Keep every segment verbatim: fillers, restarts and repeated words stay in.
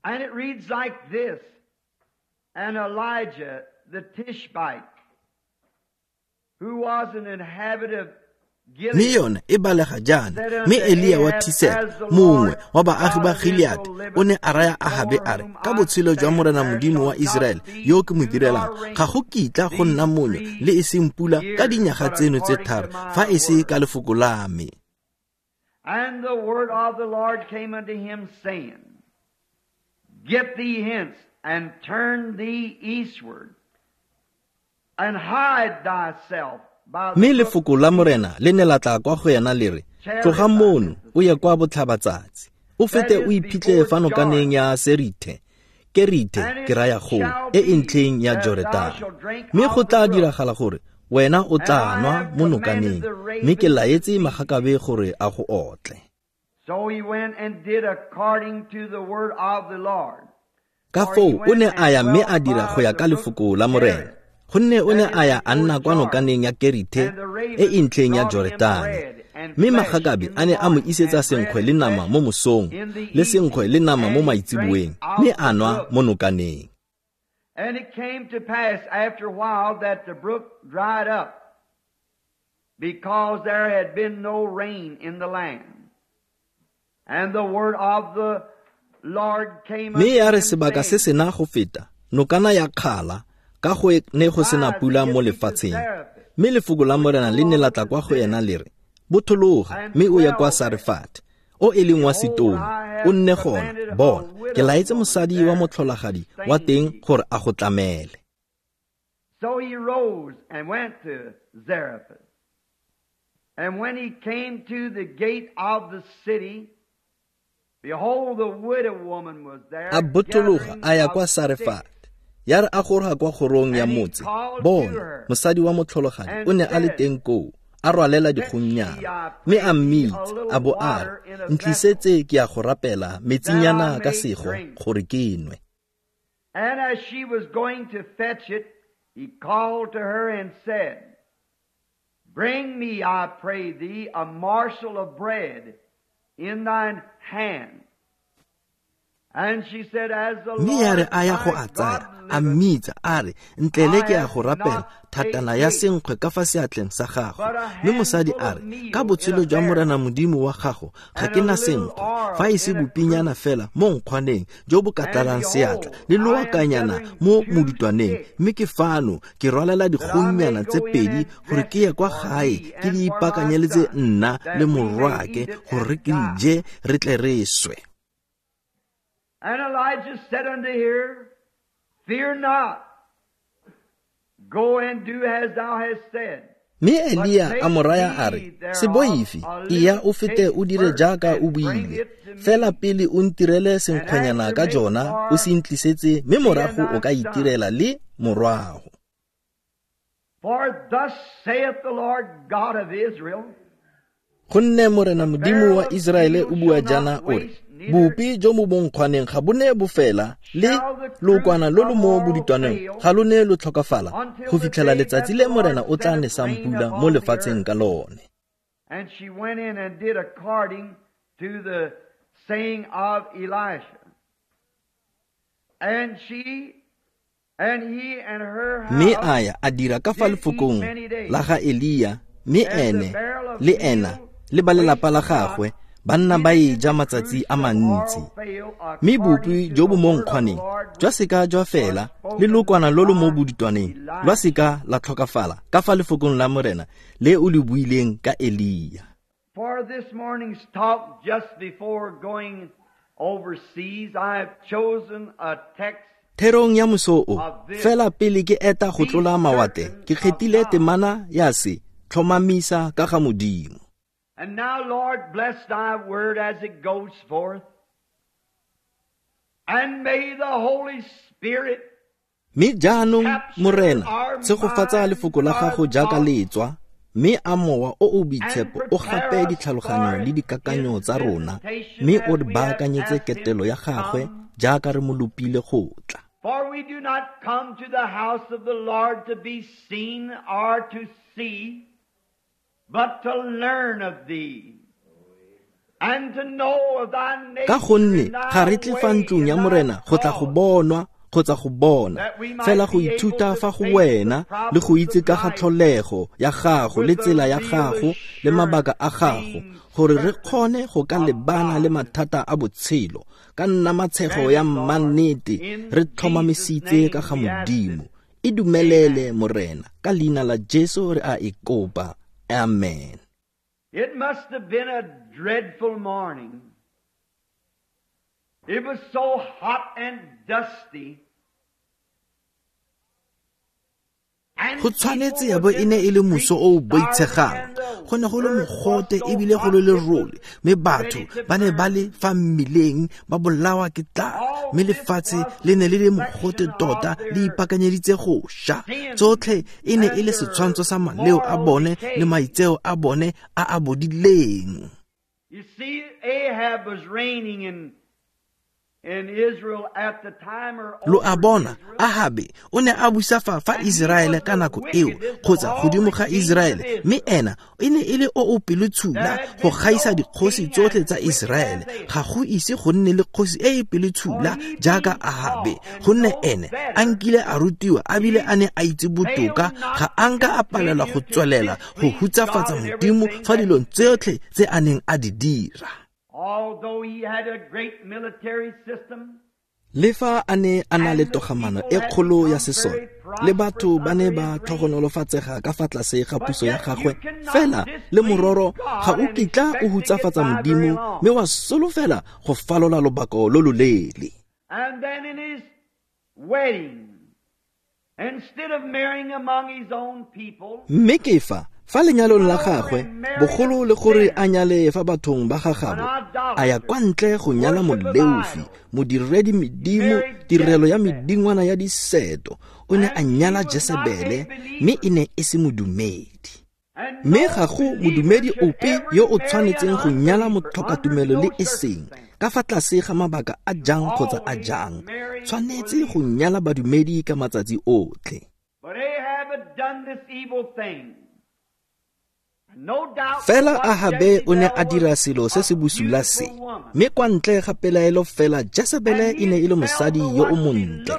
And it reads like this, And Elijah the Tishbite, who was an inhabitant of Mme yone e balega jaana, mme Elia wa Tisebe, mongwe wa baagi ba Gileate, o ne a raya Ahabe a re, ka botshelo jwa Morena Modimo wa Iseraele yo ke mo direlang, ga go kitla go nna monyo le e seng pula ka dinyaga tseno tse tharo, fa e se ka lefoko la me. And the word of the Lord came unto him, saying, Get thee hence, and turn thee eastward, and hide thyself. Mme lefoko la Morena le ne la tla kwa go yena le re, tloga mono o ye kwa botlhabatsatsi, o fete o iphitlhe fa nokaneng ya Serithe, Kerithe ke raya goo, e e ntlheng ya Joretane. Mme go tla diragala gore wena o tla nwa mo nokaneng, mme ke laetse magakabe gore a go otle. So he went and did according to the word of the Lord. Ka foo o ne a ya mme a dira go ya ka lefoko la Morena. Gonne o ne a ya a nna kwa nokaneng ya Kerithe e e ntlheng ya Joretane. Mme magakabe a ne a mo isetsa senkgwe le nama mo mosong, le senkgwe le nama mo maitseboeng, mme a nwa mo nokaneng. And it came to pass after a while that the brook dried up, because there had been no rain in the land. And the word of the Lord came Mme ya re sebaka se sena go feta, nokana ya kgala, ka go ne go sena pula mo lefatsheng. Mme lefoko la Morena le ne la tla kwa go ena le re, bothologa mme o ye kwa Sarefat, o e leng wa Sitone, o nne gona. Bona, ke laetse mosadi wa motlholagadi wa teng gore a go tlamele. So he rose and went to Zarephath. And when he came to the gate of the city, behold, the widow woman was there. A bothologa a ya kwa Sarefat. Ya re a goroga kwa kgorong ya motse, bona, mosadi wa motlholagadi o ne a le teng koo, a rwalela dikgonnyana, mme a mmitsa, a bo a re, ntlisetse ke ya go rapela metsinyana ka sego gore ke nwe. And as she was going to fetch it, he called to her and said, Bring me, I pray thee, a morsel of bread in thine hand. And she said, As the Mme ya re Lord a ya go thy a tsaya, God a liveth, mmitsa a re, ntlele ke ya go I have rapela not thatana baked ya cake, senkgwe ka fa seatleng sa gago. but a Mme mosadi handful a of re, meal ka in botshelo a jwa Morena barrel, Modimo wa gago ga and ke a na little senkgwe, oil fa e se in a bopinyana cruse. fela mo nkgwaneng jo bo ka And tlalang seatla, behold, le I am loakanyana gathering mo two modutwaneng, sticks, mme ke fano ke rwalela that I may dikgonnyana tse go in pedi and gore dress ke ye it kwa for gae thee ke and di for my ipaakanyeletse son, nna that le we may morwaake eat it gore and re ke di die. je re tle re swe. And Elijah said unto her, Fear not, go and do as thou hast said. Mme But Elia a take mo raya a thee re, se thereof boife, a eya little o fete cake o dire first, jaaka o and bring buile. it to Fela me, pele o ntirele and senkgwenyana after ka make jona, o for se ntlisetse, mme thee and morago o thy ka son. itirela le morwago. For thus saith the Lord God of Israel, Gonne Morena the Modimo barrel wa of Iseraele meal o bua shall not jaana o re, waste, neither bopi jo mo bonkgwaneng ga bo ne bo fela, le shall the cruse lookwana lo lo of mo oil bodutwaneng fail ga lo ne lo tlhokafala until go the fitlhela day letsatsi that le the Morena Lord o tla sendeth nesang rain pula mo upon the lefatsheng earth. ka lone. And she went in and did according to the saying of Elisha. And she and he and her Mme house a ya a dira ka fa did eat lefokong many days. la ga Elia, mme And the ene barrel of le ena meal le ba lelapa la wasted not, gagwe ba nna ba neither e did ja the matsatsi cruse a of mantsi. oil fail Mme according bopi to jo the bo mo word of the nkgwaneng Lord jwa which seka jwa was fela, le spoken lokwana lo lo mo by bodutwaneng lwa Elisha. seka la tlhokafala ka fa lefokong la Morena le o le buileng ka Elia. For this morning's talk, just before going overseas, I have chosen a text Therong ya moso o, of this fela pele ke eta go be tlola mawatle, certain ke of kgethile God. temana ya se tlhomamisa ka ga Modimo. And now, Lord, bless thy word as it goes forth. And may the Holy Spirit Mme jaanong capture Morena, our tshegofatsa minds, lefoko la our gago jaaka thoughts, le tswa, mme a mowa o o and boitshepo o prepare gape us ditlhaloganyo for le dikakanyo his tsa rona, visitation mme o as re we have baakanyetse asked him ketelo to ya gagwe come. jaaka re mo lopile go tla. For we do not come to the house of the Lord to be seen or to see, but to learn of thee. Ka gonne ga re tle fa ntlong ya Morena go tla go bonwa kgotsa go bona, fela go ithuta fa go wena le go itse ka ga tlholego ya gago le tsela ya gago le mabaka a gago, gore re kgone go ka lebana le mathata a botshelo ka nna matshego ya mannete re tlhomamisitse ka ga Modimo. E dumelele Morena, ka leina la Jesu re a e kopa. Amen. It must have been a dreadful morning. It was so hot and dusty. Go tshwanetse ya bo e ne e le moso o o boitshegang. Go ne go le mogote ebile go le lerole, mme batho ba ne ba le fa mmileng ba bolawa ke tlala, mme lefatshe le ne le le mogote tota le ipaakanyeditse go ša. Tsotlhe e ne e le setshwantsho sa maleo a bone le maitseo a bone a a bodileng. You see, Ahab was reigning in Lo a bona, Ahabe o ne a busa fa fa Iseraele ka nako eo, kgotsa godimo ga Iseraele, mme ena e ne e le o o pelotshula go gaisa dikgosi tsotlhe tsa Iseraele. Ga go ise go nne le kgosi e e pelotshula jaaka Ahabe, gonne ene a nkile a rutiwa a bile a ne a itse botoka, ga a nka a palelwa go tswelela go hutsafatsa Modimo fa dilong tsotlhe tse a neng a di dira. Although he had a great military system, Le fa a ne a na le togamano e kgolo ya sesole, le batho ba ne ba tlhogonolofatsega ka fa tlase ga puso ya gagwe, fela le mororo ga o kitla o hutsafatsa Modimo mme wa solofela go falola lobaka lo loleele. And then in his wedding, instead of marrying among his own people, mme ke fa fa lenyalong la gagwe, bogolo le gore a nyale fa bathong ba gagabo, a ya kwa ntle go nyala moleofi, modiredi medimo, tirelo ya medingwana ya diseto. O ne a nyala Jesebele, mme e ne e se modumedi. Mme ga go modumedi ope yo o tshwanetseng go nyala motlhokatumelo le e seng, ka fa tlase ga mabaka a jang kgotsa a jang, tshwanetse go nyala badumedi ka matsatsi otlhe. But Ahab had done this evil thing. Fela Ahabe o ne a dira selo se se bosula se, mme kwa ntle ga pelaelo fela Jesebele e ne e le mosadi yo o montle,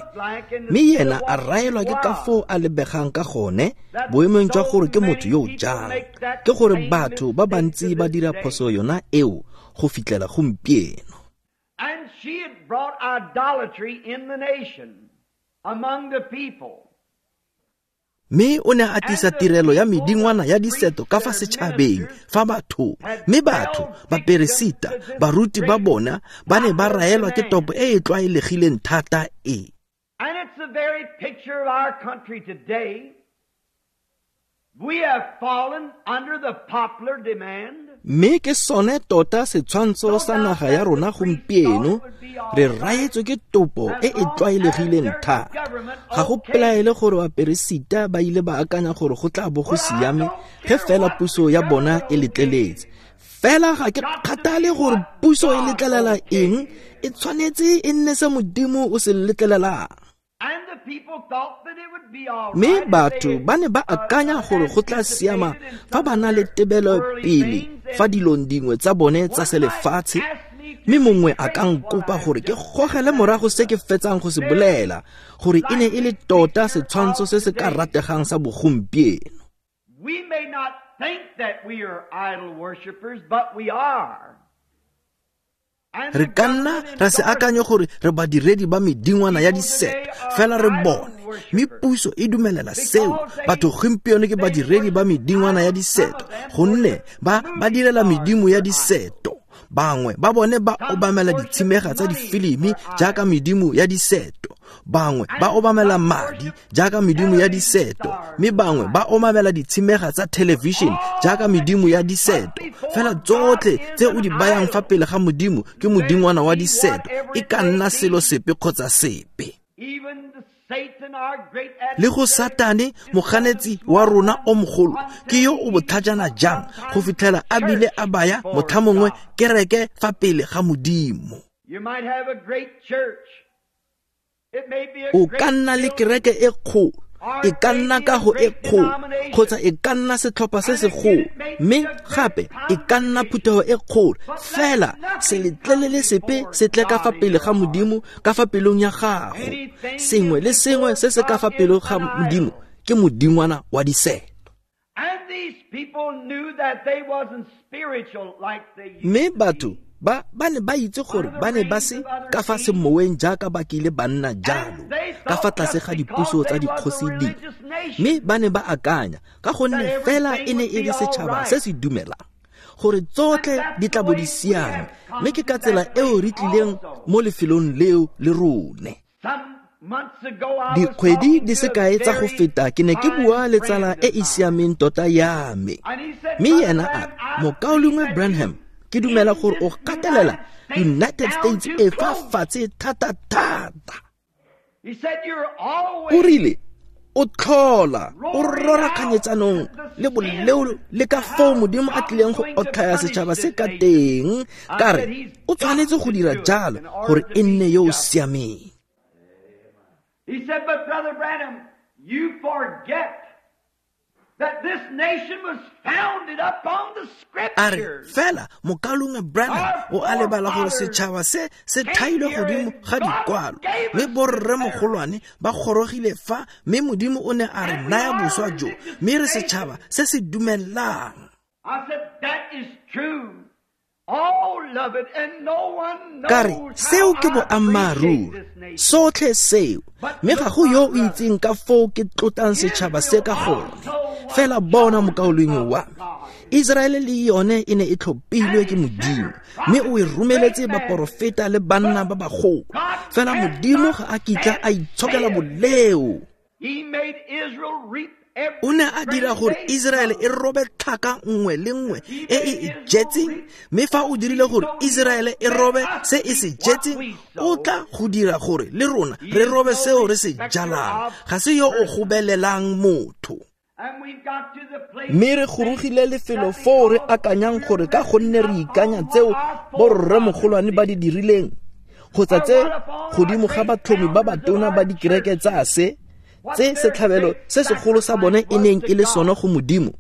mme yena a raelwa ke ka foo a lebegang ka gone, boemong jwa gore ke motho yo o jang. Ke gore batho ba bantsi ba dira phoso yona eo go fitlhela gompieno. And she had brought idolatry in the nation, among the people. Mme o ne a tlisa tirelo ya medingwana ya diseto ka fa setšhabeng fa bathong, mme batho, baperesita, baruti ba bona ba ne ba raelwa ke topo e e tlwaelegileng thata e. And it's the very picture of our country today. We have fallen under the popular demand. Mme ke sone tota setshwantsho sa naga ya rona gompieno, re raetswe ke topo e e tlwaelegileng thata. Ga go pelaele gore baperesita ba ile ba akanya gore go tla bo go siame ge fela puso ya bona e letleletse. Fela ga ke kgathale gore puso e letlelela eng, e tshwanetse e nne se Modimo o se letlelelang. Mme batho ba ne ba akanya gore go tla siama fa ba na le tebelopele fa dilong dingwe tsa bone tsa selefatshe, mme mongwe a ka nkopa gore ke gogele morago se ke fetsang go se bolela, gore e ne e le tota setshwantsho se se ka rategang sa bogompieno. We may not think that we are idol worshippers, but we are. Re ka nna ra se akanye gore re badiredi ba medingwana ya diseto, fela re bone, mme puso e dumelela seo. Batho gompieno ke badiredi ba medingwana ya diseto, gonne ba ba direla medimo ya diseto. Bangwe ba bone ba obamela ditshimega tsa difilimi jaaka medimo ya diseto, bangwe ba obamela madi jaaka medimo ya diseto, mme bangwe ba obamela ditshimega tsa television jaaka medimo ya diseto. Fela tsotlhe tse o di bayang fa pele ga Modimo ke modingwana wa diseto, e ka nna selo sepe kgotsa sepe. Le go Satane, moganetsi wa rona o mogolo, ke yo o botlhajana jang go fitlhela a bile a baya motlha mongwe kereke fa pele ga Modimo. O ka nna le kereke e kgolo, E ka nna kago e kgolo kgotsa e ka nna setlhopha se segolo, mme gape e ka nna phuthego e kgolo, fela se letlelele sepe se tle ka fa pele ga Modimo ka fa pelong ya gago. Sengwe le sengwe se se ka fa pele ga Modimo ke modingwana wa diseto. Mme batho ba ba ne ba itse gore ba ne ba se ka fa semoweng jaaka ba kile ba nna jalo ka fa tlase ga dipuso tsa dikgosi dingwe, mme ba ne ba akanya ka gonne fela e ne e le setšhaba se se dumelang gore tsotlhe di tla bo di siame, mme ke ka tsela eo re tlileng mo lefelong leo le rone. Dikgwedi di sekae tsa go feta ke ne ke bua le tsala e e siameng tota ya me, mme yena a re, Mokaulengwe Branham, ke dumela gore o gatelela United States e fa fatshe thata-thata. O rile o tlhola o rora kganyetsanong le boleo le ka foo Modimo a tlileng go otlhaya setšhaba se ka teng, ka re o tshwanetse go dira jalo gore e nne yo o siameng. He said, but Brother Branham, you forget that this nation was founded upon the A re scriptures. fela Mokaulengwe Branham o a lebala gore setšhaba se se thailwe godimo ga dikwalo, mme borremogolwane ba gorogile fa, mme Modimo o ne a re naya boswa jo, mme re setšhaba se se dumelang. I said, that is true. All of it, and no one Ka re knows seo how ke I appreciate boammaaruri, this nation. sotlhe seo, mme ga go yo o itseng ka foo ke tlotlang setšhaba se ka gone. Fela bona mokaulengwe wa me, Israele le yone e ne e tlhophilwe ke Modimo, mme o e romeletse baporofeta le banna ba bagolo. Fela Modimo ga a kitla a itshokela boleo. He made Israel reap every O ne a dira gore Israele e robe tlhaka nngwe le nngwe e e e jetseng, mme fa o dirile gore Israele e robe se e se jetseng, o tla go dira gore le rona re robe seo re se jalang. Ga se yo o gobelelang motho. And we've got to the place Mme re gorogile lefelo foo re akanyang gore ka gonne re ikanya tseo borremogolwane ba di dirileng, kgotsa tse godimo ga batlhomi ba batona ba dikereke tsa se, tse setlhabelo se segolo sa bone e neng e le sone go Modimo,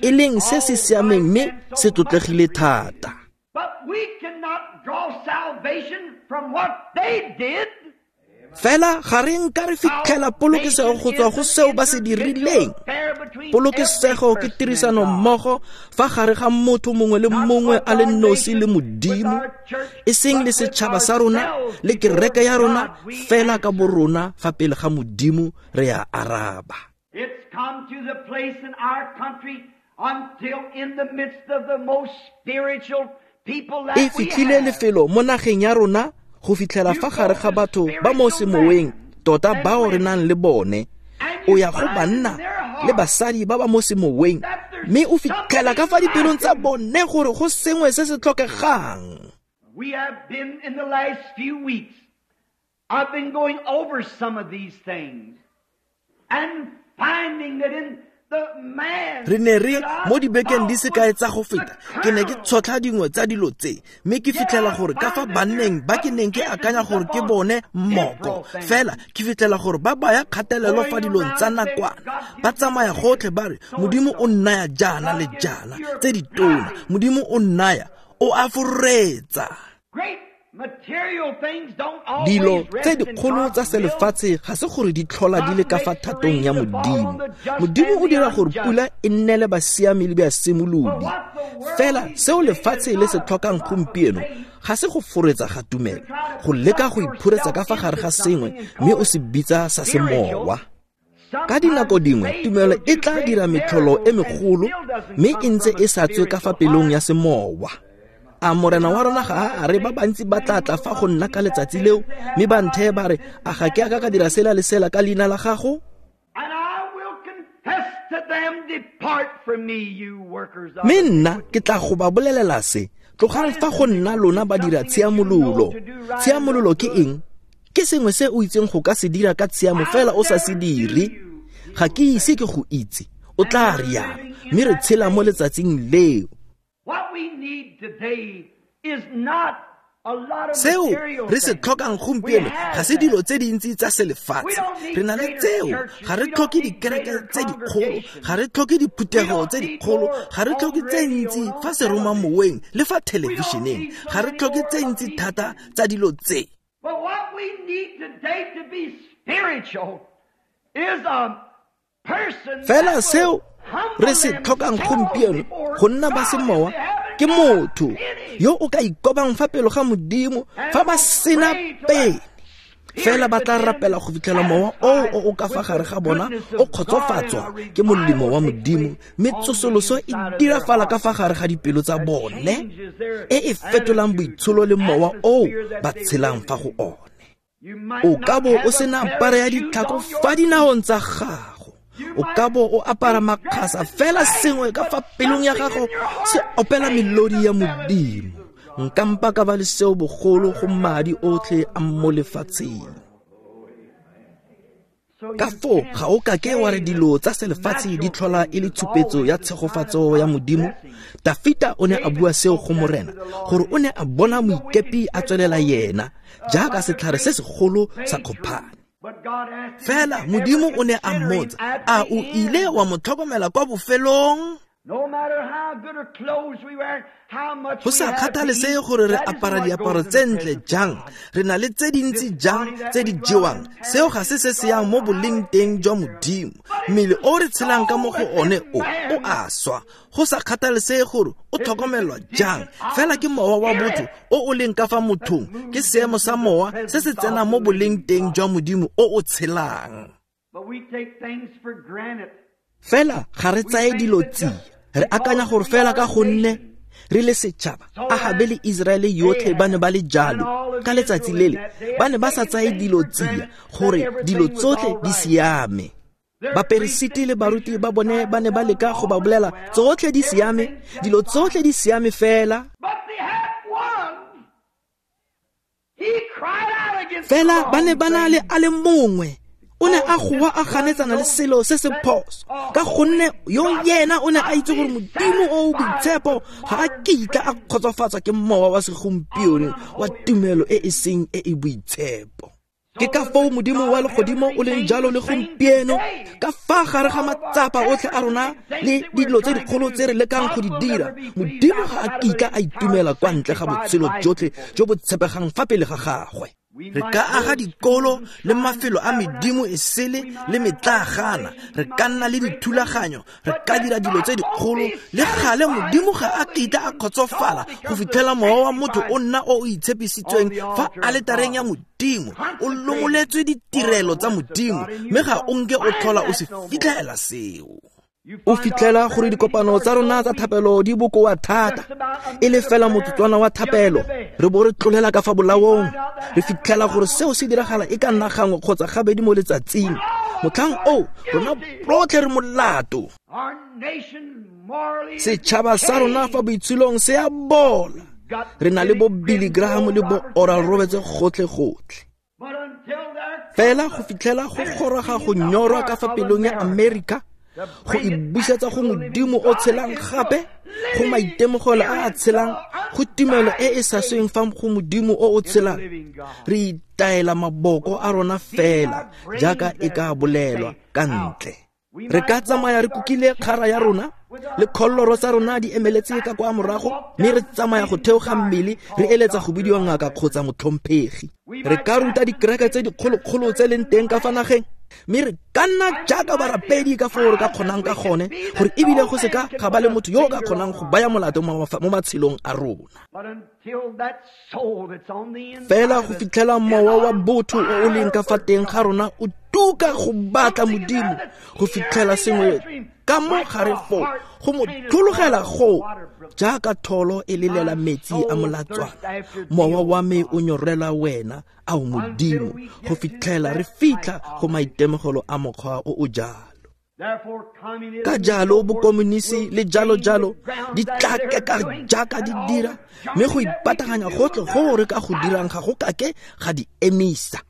e leng se se siameng mme se tlotlegile thata. But we cannot draw salvation from what they did. Fela ga re nka re fitlhela polokesego go tswa go seo ba se dirileng. Polokesego ke tirisano mmogo fa gare ga motho mongwe le mongwe a le nosi le Modimo, e seng le setšhaba sa rona le kereke ya rona, fela ka borona fa pele ga Modimo re a araba. It's come to the place in our country until in the midst of the most spiritual people that E we fitlhile have. lefelo mo nageng ya rona go fitlhela fa gare ga batho ba mo semoweng tota bao re nang le bone. O ya go banna le basadi ba ba mo semoweng, mme o fitlhela ka fa dipelong tsa bone gore go sengwe se se tlhokegang. We have been in the last few weeks, I've been going over some of these things and finding that in the man Re ne re that I mo dibekeng di thought sekae was tsa go the feta, ke ne ke colonel tshotlha dingwe tsa dilo tse, mme ke fitlhela gore ka fa banneng ba ke neng ke akanya gore ke bone mmoko, fela ke fitlhela gore ba baya kgatelelo fa dilong tsa nakwana. Ba tsamaya gotlhe ba re, Modimo o nnaya jaana le jaana, tse ditona, Modimo o nnaya, o a foretsa. Great material things don't always Dilo rest tse in dikgolo God's tsa selefatshe ga se gore di tlhola di le ka fa thatong ya Modimo. Modimo o dira gore pula e nnele basiami le basimolodi. Fela seo lefatshe le se tlhokang gompieno ga se go foretsa ga tumelo, go leka go iphuretsa ka fa gare ga sengwe mme o se bitsa sa semowa. Ka dinako dingwe tumelo e tla dira metlholo e megolo mme e ntse e sa tswe ka fa pelong ya semowa. A morena wa rona ga a re ba bantsi ba tla tla fa go nna ka letsatsi leo, mme ba ntheye ba re, a ga ke a ka ka dira sela le sela ka leina la gago? And I will confess to them, depart from me, you workers of Mme nna ke tla go ba bolelela se, tlogang fa go nna lona ba dira tshiamololo. Tshiamololo ke eng? Ke sengwe se o itseng go ka se dira ka tshiamo fela o sa se dire. Ga ke ise ke go itse, o tla rialo, mme re tshela mo letsatsing leo. What we need today is not Seo re se tlhokang gompieno ga se dilo tse dintsi tsa selefatshe. Re na le tseo, ga re tlhoke dikereke tse dikgolo, ga re tlhoke diphuthego tse dikgolo, ga re tlhoke tse ntsi fa seromamoweng le fa thelebišeneng, ga re tlhoke tse ntsi thata tsa dilo tse. But what we need today to be spiritual is a person Fela seo re se tlhokang gompieno go nna ba semowa ke motho yo o ka ikobang fa pele ga Modimo fa ba sena pele. Fela ba tla rapela go fitlhela mowa oo o o ka fa gare ga bona o kgotsofatswa ke molemo wa Modimo, mme tsosoloso e dirafala ka fa gare ga dipelo tsa bone e e fetolang boitsholo le mowa oo ba tshelang fa go one. O ka bo o sena apara ya ditlhako fa dinaong tsa gago, o ka bo o apara makgasa, fela sengwe ka fa pelong ya gago se opela melodi ya Modimo. Nka mpa ka ba le seo bogolo go madi otlhe a mo lefatsheng. Ka foo ga o kake wa re dilo tsa selefatshe di tlhola e le tshupetso ya tshegofatso ya Modimo. Dafita o ne a bua seo go Morena, gore o ne a bona moikepi a tswelela yena jaaka setlhare se segolo sa kgophane. Fela Modimo o ne a mmotsa, a o ile wa mo tlhokomela kwa bofelong? Go sa kgathalesege gore re apara diaparo tse ntle jang, re na le tse dintsi jang tse di jewang, seo ga se se se yang mo boleng teng jwa Modimo. Mmele o re tshelang ka mo go one o, o a swa. Go sa kgathalesege gore o tlhokomelwa jang, fela ke mowa wa botho o o leng ka fa mothong, ke seemo sa mowa se se tsenang mo boleng teng jwa Modimo o o tshelang. Fela ga re tsaye dilo tsia, re akanya gore fela ka gonne re le setšhaba, Ahabe le Iseraele yotlhe ba ne ba le jalo ka letsatsi lele, ba ne ba sa tsaye dilo tsia gore dilo tsotlhe di siame. Baperesiti le baruti ba bone ba ne ba leka go ba bolela tsotlhe di siame, dilo tsotlhe di siame fela. Fela ba ne ba na le a le mongwe o ne a goa a ganetsana le selo se se phoso, ka gonne yo yena o ne a itse gore Modimo o o boitshepo ga a kitla a kgotsofatswa ke mowa wa segompieno wa tumelo e e seng e e boitshepo. Ke ka foo Modimo wa legodimo o leng jalo le gompieno, ka fa gare ga matsapa otlhe a rona le dilo tse dikgolo tse re lekang go di dira, Modimo ga a kitla a itumela kwa ntle ga botshelo jotlhe jo bo tshepegang fa pele ga gagwe. Re ka aga dikolo le mafelo a medimo e sele le metlaagana, re ka nna le dithulaganyo, re ka dira dilo tse dikgolo, le gale Modimo ga a kitla a kgotsofala go fitlhela mowa wa motho o nna o o itshepisitsweng fa aletareng ya Modimo, o lomoletswe ditirelo tsa Modimo, mme ga o nke o tlhola o se fitlhela seo. O fitlhela gore dikopano tsa rona tsa thapelo di bokoa thata, e le fela motsotswana wa thapelo, re bo re tlolela ka fa bolaong. Re fitlhela gore seo se diragala e ka nna gangwe kgotsa gabedi mo letsatsing. Motlhang oo, rona rotlhe re molato. Setšhaba sa rona fa boitsholong se a bola. Re na le bo Billy Graham le bo Oral Roberts gotlhe-gotlhe. Fela go fitlhela go goroga go nyorwa ka fa pelong ya Amerika, go e busetsa go Modimo o tshelang gape, go maitemogelo a a tshelang, go tumelo e e sa sweng fa go Modimo o o tshelang, re itaela maboko a rona fela jaaka e ka bolelwa ka ntle. Re ka tsamaya re kukile kgara ya rona le kgolloro tsa rona di emeletse ka kwa morago, mme re tsamaya go theoga mmele re eletsa go bidiwa ngaka kgotsa motlhomphegi. Re ka ruta dikereke tse dikgolokgolo tse leng teng ka fa nageng, mme re ka nna jaaka barapedi ka foo re ka kgonang ka gone, gore ebile go se ka ga ba le motho yo o ka kgonang go baya molato mo matshelong a rona. Fela go fitlhela mowa wa botho o o leng ka fa teng ga rona o tuka go batla Modimo, go fitlhela sengwe ka mo gare foo go mo tlhologela go jaaka tholo e lelela metsi a molatswana, mowa wa me o nyorela wena, ao Modimo, go fitlhela re fitlha go maitemogelo a mokgwa o o jalo. Ka jalo bokomonisi le jalo-jalo di tla keka jaaka di dira, mme go ipataganya gotlhe go re ka go dirang ga go kake ga di emisa.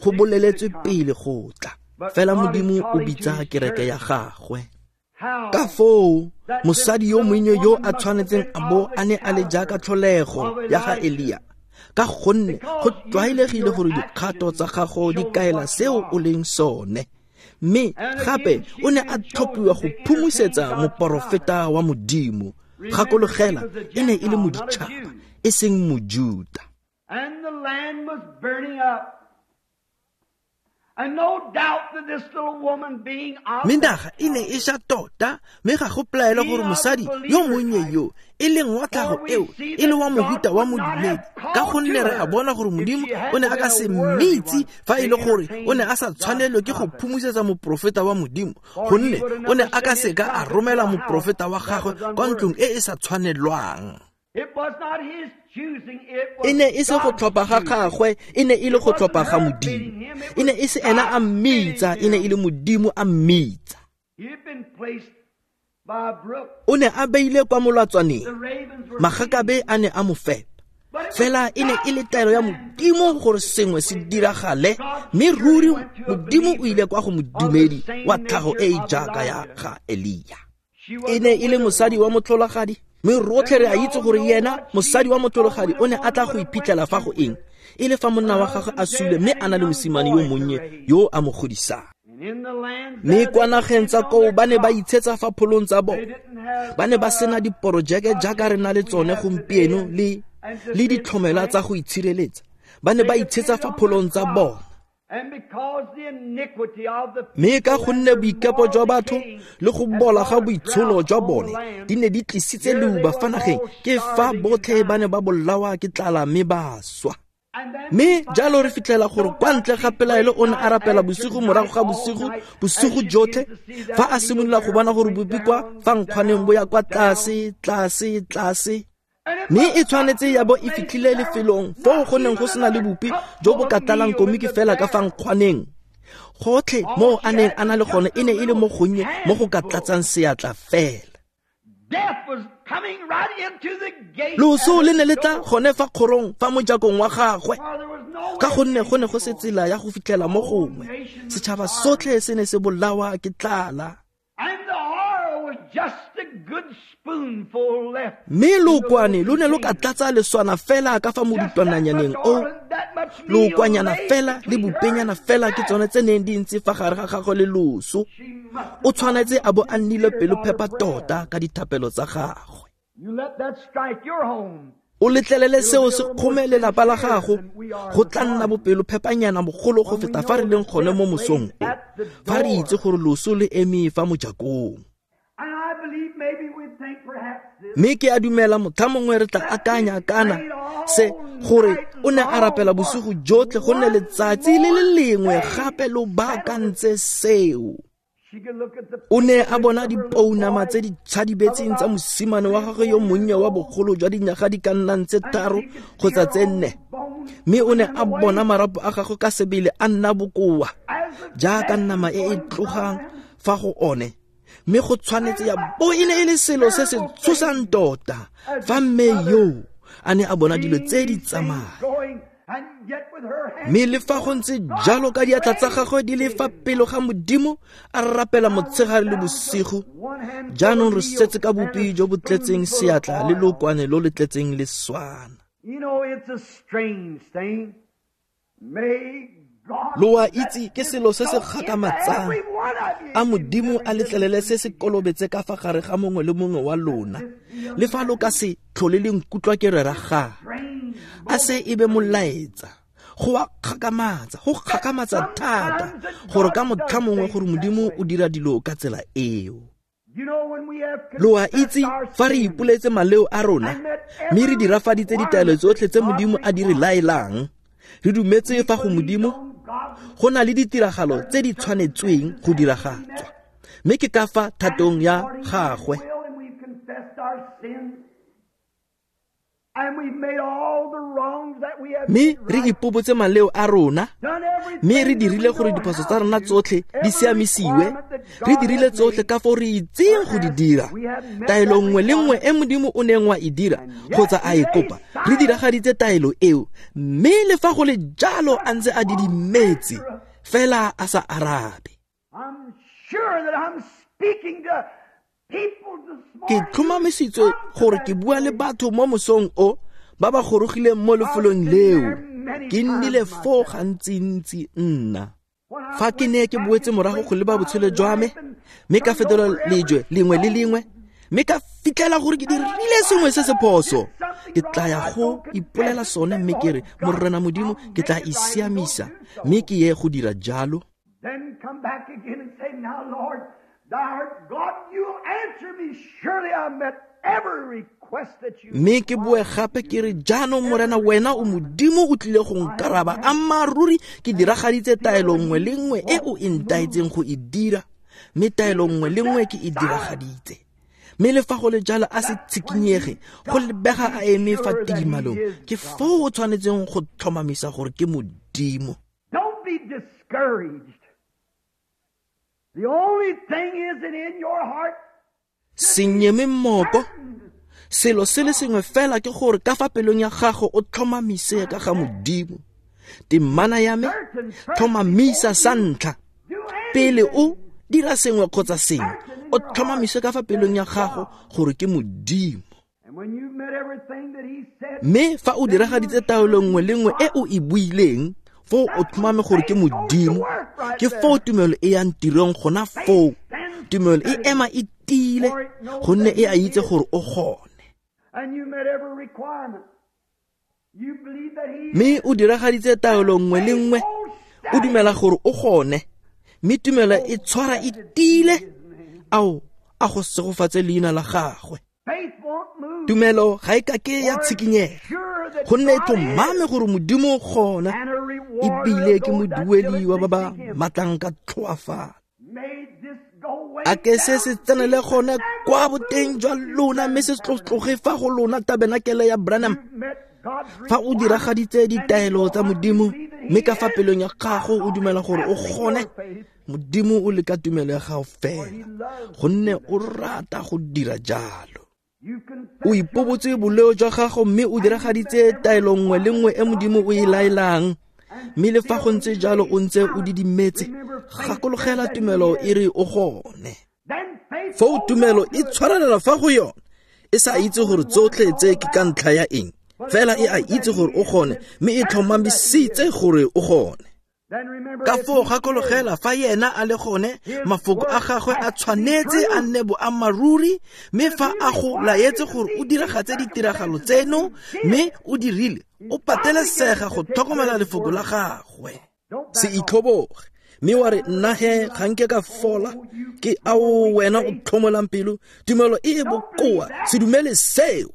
Go boleletswe pele go tla, fela Modimo o bitsa kereke ya gagwe. Ka foo mosadi yo monnye yo a tshwanetseng a bo a ne a le jaaka tlholego ya ga Elia, ka gonne go tlwaelegile gore dikgato tsa gago di kaela seo o leng sone. Mme gape o ne a tlhophiwa go phumusetsa moporofeta wa Modimo. Gakologela, e ne e le moditšhaba, e seng Mojuta. And the land was burning up. And no doubt that this little woman being of Mme naga e ne e ša tota, mme ga go pelaelo gore mosadi yo monnye yo e leng wa tlhago eo e le wa mohuta wa modumedi, ka gonne re a bona gore Modimo o ne a ka se mmitse fa e le gore o ne a sa tshwanelwe ke go phumusetsa moporofeta wa Modimo, gonne o ne a ka seka a romela moporofeta wa gagwe kwa ntlong e e sa tshwanelwang. It was not his choosing, it was E ne e se go God's tlhopha ga choosing. gagwe, e ne e le go tlhopha ga Modimo. E ne e se ena a mmitsa, e ne e le Modimo a mmitsa. He had been placed by a brook. O ne a beile kwa molatswaneng, The ravens were magakabe a ne a mo fepa. But it was Fela e ne e le taelo ya Modimo gore sengwe se diragale, mme ruri Modimo o ile kwa go modumedi wa tlhago e e jaaka ya ga Elia. She was E ne e le mosadi wa motlholagadi, mme rotlhe re a itse gore yena mosadi wa motlholagadi o ne a tla go iphitlhela fa go eng, e le fa monna wa gagwe a sule mme a na le mosimane yo monnye yo a mo godisang. And in the lands Mme there kwa they nageng tsa depended on koo their ba ne ba crops. itshetsa fa pholong tsa They bona. didn't have, Ba ne ba sena diporojeke jaaka re na le tsone gompieno le le ditlhomela tsa go itshireletsa. Ba ne ba itshetsa fa pholong tsa bona. And because the iniquity of the Mme ka people gonne and their boikepo moral jwa batho decay le go had bola ga brought a boitsholo drought jwa on the bone land, di ne di tlisitse here they leuba were fa nageng, all ke fa starving and botlhe ba ne dying. ba bolawa ke tlala mme ba swa. And then Mme we find jalo re that fitlhela gore no kwa doubt ntle ga she pelaelo prayed o ne a night rapela after bosigo night, morago ga all bosigo, night, as bosigo she jotlhe, began to see that fa a meal simolola go there bona gore going bopi kwa down, fa nkgwaneng bo ya kwa down, tlase, tlase, tlase. And it Mme must e tshwanetse ya bo e have fitlhile been lefelong foo go neng go sena le bopi jo bo ka tlalang komiki fela ka fa nkgwaneng. Gotlhe mo a neng a na le gone e ne e le mo gonnye mo go ka tlatsang seatla fela. Death was coming right into the gate Loso at le the ne le tla door. gone fa kgorong fa mojakong wa gagwe, For there was no ka way gonne to go ne go se anymore. tsela ya go fitlhela mo gongwe. Setšhaba sotlhe se ne se bolawa ke tlala. And the oil was just a good spoonful left. Mme lookwane lo ne lo ka tlatsa leswana fela ka fa Just that much modutwananyaneng o. oil and that much meal Lookwanyana laid fela le between her bopenyana and fela ke death. tsone tse neng di ntse fa gare ga gagwe le loso. She must O tshwanetse a bo a nnile have pelophepa prayer. tota ka dithapelo tsa gagwe. You let that strike your home. O letlelele seo se kgome lelapa la gago, go tla nna bopelophepanyana bogolo go feta fa re leng gone mo mosong o, fa re itse gore loso le eme fa mojakong. And I believe maybe we think perhaps this. Mme ke a dumela motlha mongwe re tla akanya kana se gore o ne a rapela bosigo jotlhe gonne letsatsi le le lengwe gape lo baakantse seo. She could look at the O ne a bona dipounama tse di tshadibetseng tsa mosimane wa gagwe yo monnye wa bogolo jwa dinyaga di ka nnang tse tharo kgotsa tse nne, mme o ne a bona marapo a gagwe ka sebele a nna bokoa jaaka nama e e tlogang fa go one. Mme go tshwanetse ya bo e ne e le selo se se tshosang tota fa mme yo a ne a bona dilo tse di tsamaya. going, and yet with her hand Mme le fa go ntse jalo ka diatla tsa gagwe di le fa pele ga Modimo, a rapela motshegare le bosigo. one hand Jaanong re full of meal setse ka and a bopi jo bo tletseng spoonful of seatla le oil. lookwane lo le tletseng leswana. You know, it's a strange thing. May God Lo a let itse ke this selo se se soak into gakgamatsang. every one of you A if you've Modimo never a letlelele se se listened to kolobetse ka fa gare ga mongwe le mongwe wa lona, le fa lo ka se tlhole le nkutlwa ke rera gape. strange A se e be molaetsa. Go a kgakamatsa, go kgakamatsa thata gore ka motlha mongwe gore Modimo o dira dilo ka tsela eo. You know, when we have Lo a confessed itse our fa re sins ipoletse maleo a rona, mme re dirafaditse ditaelo tsotlhe tse Modimo a di re laelang, re dumetse fa go Modimo on God's go na le ditiragalo tse di tshwanetsweng go diragatswa, mme ke ka fa thatong ya gagwe. will, and we've confessed our sins, and we've made all the wrongs that we have Mme made re right, ipobotse maleo a rona, done everything mme re that we dirile gore know diphoso how tsa rona to, tsotlhe di every siamisiwe, requirement that re God dirile has tsotlhe made ka foo re itseng go di dira. Taelo nngwe le nngwe e Modimo o neng wa e dira kgotsa a e kopa, re diragaditse taelo eo, mme le fa go le jalo a ntse a didimetse fela a sa arabe. I'm sure that I'm speaking to people this Ke morning tlhomamisitswe gore ke bua le batho mo mosong o Ba ba gorogileng mo lefelong leo, ke nnile foo gantsintsi nna. Fa ke ne ke boetse morago go leba botshelo jwa me, mme ka fetola lejwe lengwe le lengwe, mme ka fitlhela gore ke dirile sengwe se se phoso, ke tla ya go ipolela sone mme ke re, Morena Modimo, ke tla e siamisa, mme ke ye go dira jalo. Then come back again and say, now, Lord, thou art God, you'll answer me. Surely I met every request that you Mme ke boe gape ke re, jaanong Morena, wena o Modimo, o tlile go nkaraba. Ammaaruri ke diragaditse taelo nngwe le nngwe e o e ntaetseng go e dira, mme taelo nngwe le nngwe ke e diragaditse. Mme le fa go le jalo a se tshikinyege, go lebega a eme fa tidimalong, ke foo o tshwanetseng go tlhomamisa gore ke Modimo. Don't be discouraged. The only thing is that in your heart, Se nyeme mmoko. Selo se le sengwe fela ke gore ka fa pelong ya gago o tlhomamise ka ga Modimo. Temana ya me, tlhomamisa sa ntlha. Pele o dira sengwe kgotsa sengwe, o tlhomamise ka fa pelong ya gago gore ke Modimo. and when you've met everything that He said, Mme fa o diragaditse taelo nngwe le nngwe e o e buileng, foo o tlhomame gore ke Modimo. Ke foo tumelo e yang tirong gona foo. Tumelo e ema e tiile, gonne e a itse gore o gone. and you met every requirement, you believe that He Mme o diragaditse taelo nngwe le nngwe, o dumela gore o gone, mme tumelo e tshwara e tiile. Ao, a go segofatse leina la gagwe. faith won't move. Tumelo ga e ka ke ya tshikinyega, Sure that gonne e God tlhomame gore Modimo o gona, and a rewarder ebile of ke those that moduedi wa ba ba diligently seek Him. matlang ka tlhoafalo. May this go way A ke se se down tsenele deep gone and kwa boteng jwa lona, mme se tloge fa go lona tabenakele ya Branham. You've met God's Fa o diragaditse ditaelo tsa Modimo, mme ka fa pelong ya gago o dumela gore o gone, Modimo o leka tumelo ya gago fela, gonne o rata go dira jalo. You confess O ipobotse boleo jwa gago mme o diragaditse taelo nngwe le nngwe e Modimo o e laelang, mme le fa go ntse jalo o ntse o didimetse, gakologela tumelo e re o gone. Then faith Foo tumelo e tshwarelela fa go yone, e sa itse gore tsotlhe tse ke ka ntlha ya eng, fela e a itse gore o gone, mme e tlhomamisitse gore o gone. Then remember Ka if foo he gakologela fa yena a le gone, mafoko a gagwe a tshwanetse a nne boammaaruri, mme fa a go laetse gore o diragatse ditiragalo tseno, mme o dirile, o patelesega go tlhokomela lefoko la gagwe. Don't Se back off. itlhoboge, mme wa re, nna he ga nke ka fola, ke ao wena o tlhomolang pelo, tumelo e e bokoa, se dumele seo.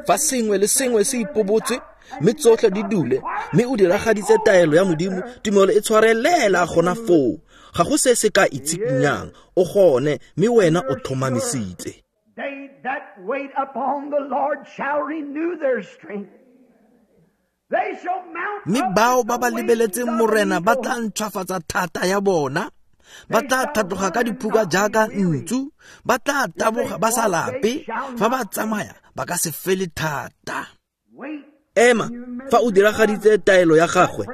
Fa sengwe le sengwe se ipobotse, mme tsotlhe di dule, mme o diragaditse taelo ya Modimo, tumelo e tshwarelela gona foo. Ga go se se ka itshikinyang, o gone, mme wena o tlhomamisitse. They that wait upon the Lord shall renew their strength. They shall mount Mme up bao with ba ba the wings lebeletseng of Morena ba eagles. tla ntšhwafatsa thata ya bona, ba tla tlhatloga ka diphuka jaaka ntsu, ba tla taboga ba sa lape, fa ba tsamaya ba ka se fele thata. Wait. Ema, fa o diragaditse taelo ya gagwe,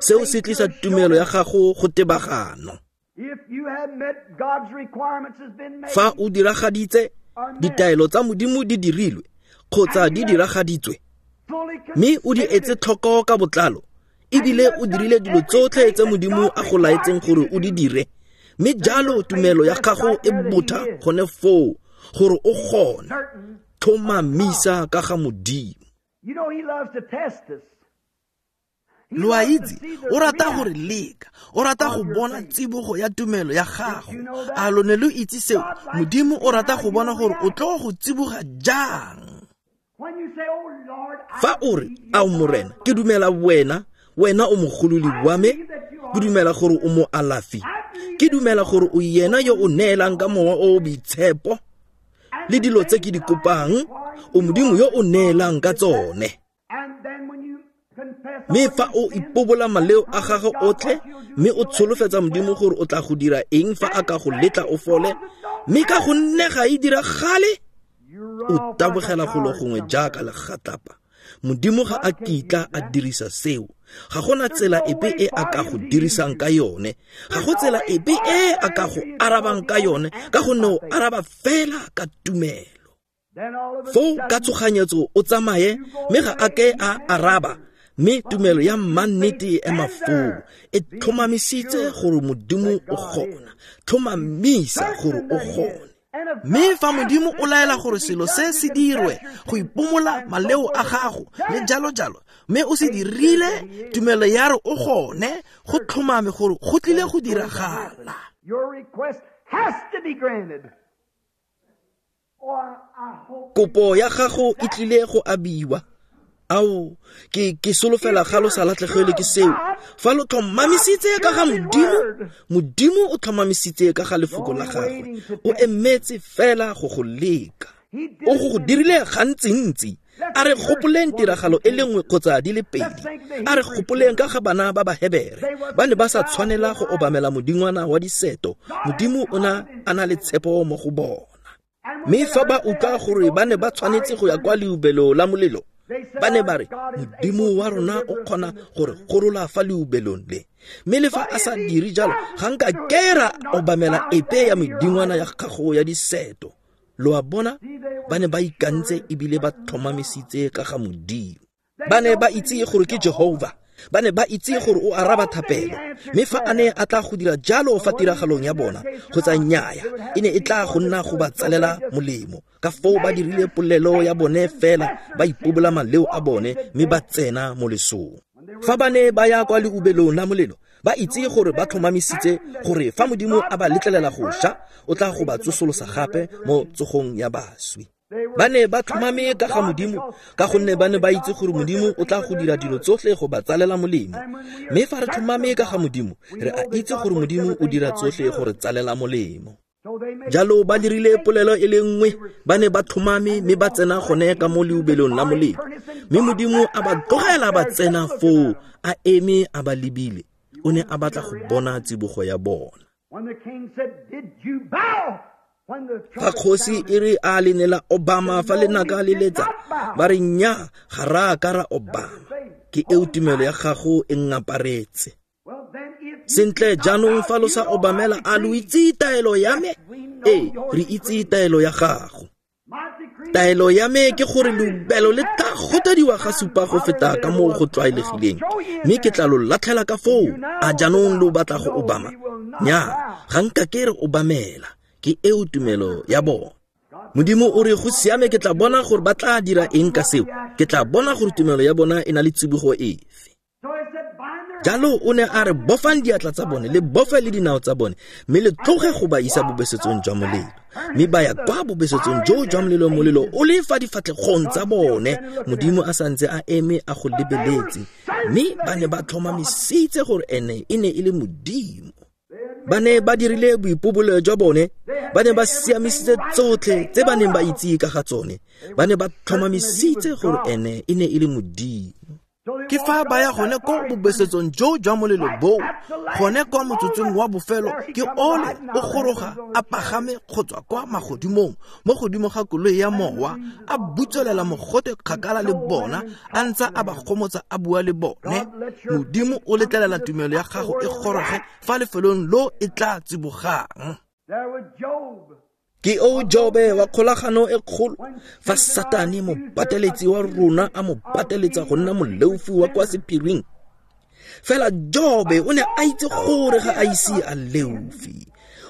seo se tlisa tumelo ya gago go tebagano. If you have met God's requirements has been made, Fa o diragaditse ditaelo tsa Modimo di dirilwe kgotsa di diragaditswe, fully mme o di etse tlhoko ka botlalo, ebile o dirile dilo tsotlhe tse Modimo a go laetseng gore o di dire, mme jalo tumelo ya gago e botha gone foo gore o gone. certain. Tlhomamisa ka ga Modimo. You know He loves to test us. He Lo a loves to itse, see the o rata go re reaction. leka, o rata go bona tsibogo ya tumelo ya gago. A lo ne lo itse seo? Modimo o rata go bona gore o tlo go tsiboga jang. When you say, "Oh Lord, I Fa o re, believe you ao Morena, ke dumela wena, wena o mogolodi wa me, ke dumela gore o moalafi, ke dumela gore o yena yo o neelang ka mowa o o boitshepo le dilo tse ke di kopang, o Modimo yo o neelang ka tsone. And then when you confess Mme all fa your o sins, ipobola maleo a gago otlhe, mme o tsholofetsa Modimo gore o tla go dira eng fa a ka go letla o fole, mme ka gonne ga e diragale, you run o off like a tabogela golo coward gongwe somewhere. jaaka legatlapa. Modimo ga a kitla a dirisa seo. Ga gona tsela epe e a ka go dirisang ka yone. Ga go tsela epe e a ka go arabang ka yone, ka gonne o araba fela ka tumelo. Foo ka tshoganyetso o tsamaye, mme ga a ke a araba, mme tumelo ya mannete e ema foo, e tlhomamisitse gore Modimo o gona, tlhomamisa gore o gone. Mme fa Modimo o laela gore selo se se dirwe go ipomola maleo a gago le jalo jalo, mme o se dirile, tumelo ya re o gone, go tlhomame gore go tlile go diragala. Your request has to be granted. Kopo ya gago e tlile go abiwa. Ao, ke ke solofela ga lo sa latlhegelwe ke seo. Fa lo tlhomamisitse ka ga Modimo, Modimo o tlhomamisitse ka ga lefoko la gagwe. O emetse fela go go leka. O go go dirile gantsintsi. A re gopoleng tiragalo e le nngwe kgotsa di le pedi. A re gopoleng ka ga bana ba Bahebere. Ba ne ba sa tshwanela go obamela modingwana wa diseto. Modimo o na a na le tshepo mo go bona. Mme fa ba utlwa gore ba ne ba tshwanetse go ya kwa leubelo la molelo, ba ne ba re, Modimo wa rona o kgona gore gorola fa leubelong le. Mme le fa a sa dire jalo, ga nka ke ra obamela epe ya medingwana ya gago ya diseto. Lo a bona, ba ne ba ikantse ebile ba tlhomamisitse ka ga Modimo. Ba ne ba itse gore ke Jehovah. Ba ne ba itse gore o araba thapelo. Mme fa a ne a tla go dira jalo fa tiragalong ya bona, kgotsa nnyaya, e ne e tla go nna go ba tsalela molemo. Ka foo ba dirile polelo ya bone fela, ba ipobola maleo a bone, mme ba tsena mo lesong. Fa ba ne ba ya kwa leubelong la molelo, ba itse gore ba tlhomamisitse gore fa Modimo a ba letlelela go sha, o tla go ba tsosolosa gape mo tsogong ya baswi. Ba ne ba tlhomame ka ga Modimo, ka gonne ba ne ba itse gore Modimo o tla go dira dilo tsotlhe go ba tsalela molemo. Mme fa re tlhomame ka ga Modimo, re a itse gore Modimo o dira tsotlhe go re tsalela molemo. Jalo ba dirile polelo e le nngwe, ba ne ba tlhomame mme ba tsena gone ka mo leubelong la molelo. Mme Modimo a ba tlogela ba tsena foo, a eme a ba lebile. O ne a batla go bona tsibogo ya bona. Fa kgosi e re a le ne la obama fa lenaka le letsa, ba re nnyaa, ga re a ka ra obama. Ke eo tumelo ya gago e ngaparetse. Sentle jaanong fa lo sa obamela, a lo itse taelo ya me? Ee, re itse taelo ya gago. Taelo ya me ke gore leubelo le tla gotediwa ga supa go feta ka moo go tlwaelegileng, mme ke tla lo latlhela ka foo. A jaanong lo batla go obama? Nnyaa, ga nka ke re obamela. Ke eo tumelo ya bona. Modimo o re go siame, ke tla bona gore ba tla dira eng ka seo. Ke tla bona gore tumelo ya bona e na le tsibogo efe. Jalo o ne a re bofang diatla tsa bone, le bofe le dinao tsa bone, mme le tloge go ba isa bobesetsong jwa molelo. Mme ba ya kwa bobesetsong joo jwa molelo, molelo o le fa difatlhegong tsa bone. Modimo a santse a eme a go lebeletse, mme ba ne ba tlhomamisitse gore ene e ne e le Modimo. Ba ne ba dirile boipobolo jwa bone, ba ne ba siamisitse tsotlhe tse ba neng ba itse ka ga tsone. Ba ne ba tlhomamisitse gore ene e ne e le Modimo. Ke fa ba ya gone ko bobesetsong joo jwa molelo boo, gone kwa motsotsong wa bofelo, ke ole o goroga a pagame go tswa kwa magodimong, mo godimo ga koloi ya mowa, a butswelela mogote kgakala le bona, a ntse a ba gomotsa a bua le bone. Modimo o letlelela tumelo ya gago e goroge fa lefelong lo e tla tsibogang. Ke o Jobe wa kgolagano e kgolo, fa Satane mopateletsi wa rona a mo pateletsa go nna moleofi wa kwa sephiring. Fela Jobe o ne a itse gore ga a ise a leofi.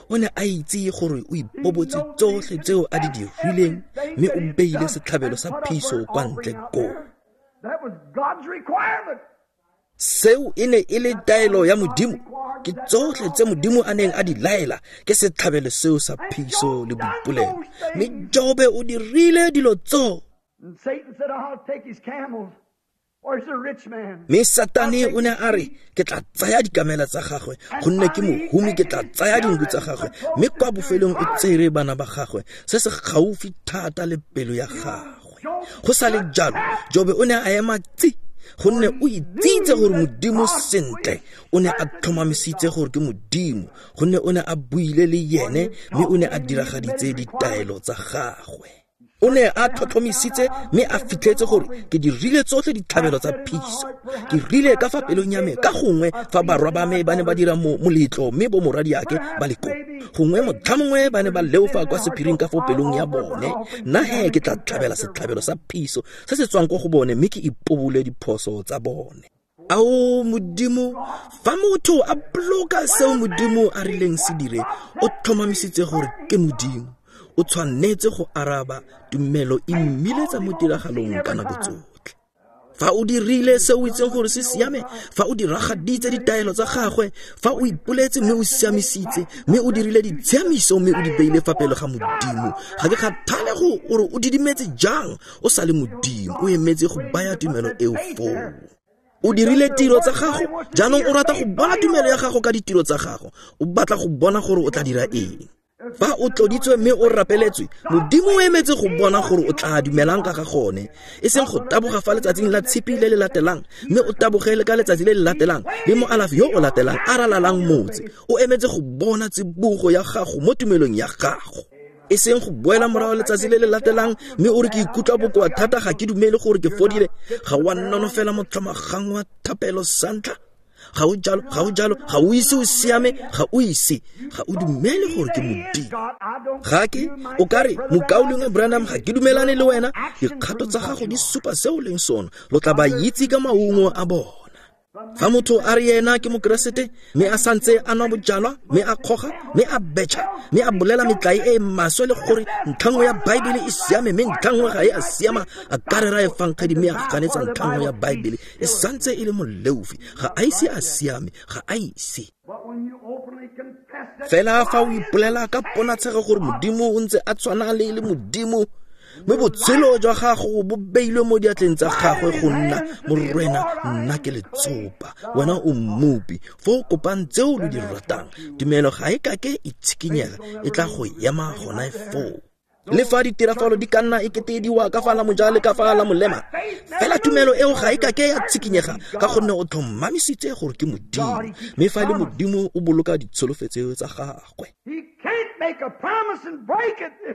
O ne a itse gore o ipobotse tsotlhe tseo a di dirileng, mme o beile setlhabelo sa phiso kwa ntle koo. Seo e ne e le taelo ya Modimo. Ke tsotlhe tse Modimo a neng a di laela, ke setlhabelo seo sa phiso le boipolelo. Mme Jobe o dirile dilo tseo. Mme Satane o ne a re, ke tla tsaya dikamela tsa gagwe, gonne ke mohumi, ke tla tsaya dinku tsa gagwe. Mme kwa bofelong o tsere bana ba gagwe, se se gaufi thata le pelo ya gagwe. Go sa le jalo, Jobe o ne a ema tsi, gonne o itsitse gore Modimo sentle. O ne a tlhomamisitse gore ke Modimo, gonne o ne a buile le yene, mme o ne a diragaditse ditaelo tsa gagwe. O ne a tlhotlhomisitse mme a fitlhetse gore ke dirile tsotlhe ditlhabelo tsa phiso. Ke rile ka fa pelong ya me ka gongwe fa barwa ba me ba ne ba dira moletlo mme bo moradiake ba le koo. Gongwe motlha mongwe ba ne ba leofa kwa sephiring ka fo pelong ya bone. Nna he ke tla tlhabela setlhabelo sa phiso se se tswang ko go bone mme ke ipobole diphoso tsa bone. Ao Modimo, fa motho a boloka seo Modimo a rileng se dire, o tlhomamisitse gore ke Modimo. O tshwanetse go araba tumelo e mmiletsa mo tiragalong ka nako tsotlhe. Fa o dirile se o itseng gore se siame, fa o diragaditse ditaelo tsa gagwe, fa o ipoletse mme o siamisitse, mme o dirile ditshiamiso mme o di beile fa pele ga Modimo, ga ke kgathale go gore o didimetse jang, o sa le Modimo, o emetse go baya tumelo eo foo. O dirile tiro tsa gago, jaanong o rata go bona tumelo ya gago ka ditiro tsa gago, o batla go bona gore o tla dira eng. Fa o tloditswe mme o rapeletswe, Modimo o emetse go bona gore o tla dumelang ka ga gone, e seng go taboga fa letsatsing la tshipi le le latelang, mme o tabogele ka letsatsi le le latelang le moalafi yo o latelang a ralalang motse. O emetse go bona tsibogo ya gago mo tumelong ya gago, e seng go boela morago letsatsi le le latelang mme o re ke ikutlwa bokoa thata, ga ke dumele gore ke fodile. Ga wa nonofela motlhomagang wa thapelo santlha. Ga o jalo, ga o jalo, ga o ise o siame, ga o ise, ga o dumele gore ke Modimo. Ga ke, o ka re, mokaulengwe Branham, ga ke dumelane le wena. Dikgato tsa gago di supa se o leng sona, lo tla ba itse ka maungo a bona. Fa motho a re yena ke mokeresete mme a santse a nwa bojalwa, mme a kgoga, mme a betšha, mme a bolela metlae e e maswe le gore ntlha nngwe ya Baebele e siame mme ntlha nngwe ga e a siama, a ka rera efangedi mme a ganetsa ntlha nngwe ya Baebele, e santse e le moleofi, ga a ise a siame, ga a ise. Fela fa o ipolela ka ponatshego gore Modimo o ntse a tshwana le le Modimo, mme botshelo jwa gago bo beilwe mo diatleng tsa gagwe go nna morena, nna ke letsopa, wena o mmopi, fo o kopang tseo lo di ratang, tumelo ga e kake e tshikinyega, e tla go ema gona foo. Le fa ditirafalo di ka nna e kete di wa ka fa la moja le ka fa la molema, fela tumelo eo ga e kake ya tshikinyega ka gonne o tlhomamisitse gore ke Modimo, mme fa le Modimo o boloka ditsholofetso tsa gagwe.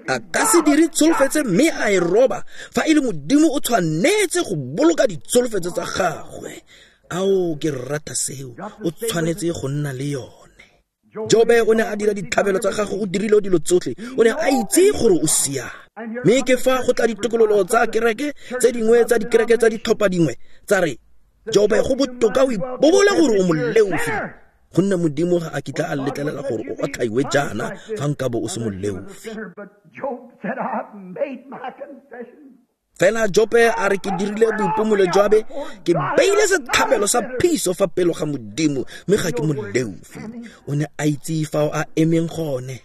A ka se dire tsholofetso mme a e roba. Fa e le Modimo o tshwanetse go boloka ditsholofetso tsa gagwe. Ao, ke rata seo, o tshwanetse go nna le yone. Jobe o ne a dira ditlhabelo tsa gagwe, o dirile dilo tsotlhe, o ne a itse gore o siame. Mme ke fa go tla ditokololo tsa kereke tse dingwe tsa dikereke tsa ditlhopha dingwe tsa re, Jobe go botoka o ipobole gore o moleofi, gonne Modimo ga a kitla a letlelela gore o otlhaiwe jaana fa nkabo o se moleofi. Fela Jobe a re ke dirile boipomolo jwa be, ke beile setlhabelo sa phiso fa pele ga Modimo, mme ga ke moleofi. O ne a itse fa a emeng gone.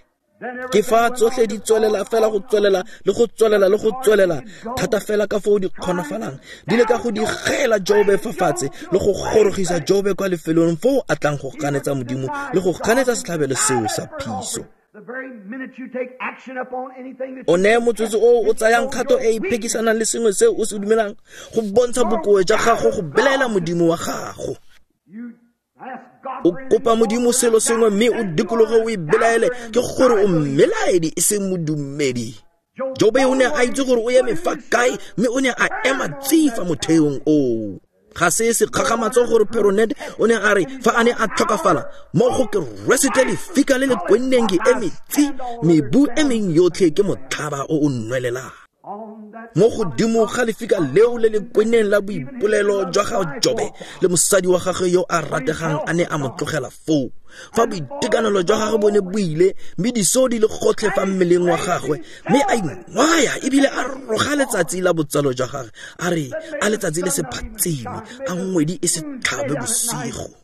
Ke fa tsotlhe di tswelela fela go tswelela le go tswelela le go tswelela thata fela ka foo di kgonafalang, di leka go digela Jobe fa fatshe le go gorogisa Jobe kwa lefelong foo a tlang go ganetsa Modimo le go ganetsa setlhabelo seo sa phiso. O ne motsotso o o tsayang kgato e e phekisanang le sengwe seo o se dumelang go bontsha bokoa jwa gago go belaela Modimo wa gago. O kopa Modimo selo sengwe mme o dikologe o e belaele, ke gore o mmelaedi e seng modumedi. Jobe o ne a itse gore o eme fa kae, mme o ne a ema tsi fa motheong oo. Ga se se kgakgamatso gore Peronet o ne a re fa a ne a tlhokafala mo go ke rwesitse lefika le le kwenneng ke eme tsi, mebu e meng yotlhe ke motlhaba o o nwelelang. Mo godimo ga lefika leo le le kwenneng la boipolelo jwa ga Jobe le mosadi wa gagwe yo a rategang a ne a mo tlogela foo, fa boitekanelo jwa gagwe bo ne bo ile mme diso di le gotlhe fa mmeleng wa gagwe, mme a ingwaya ebile a roga letsatsi la botsalo jwa gagwe, a re a letsatsi le se phatsime, a ngwedi e se tlhabe bosigo.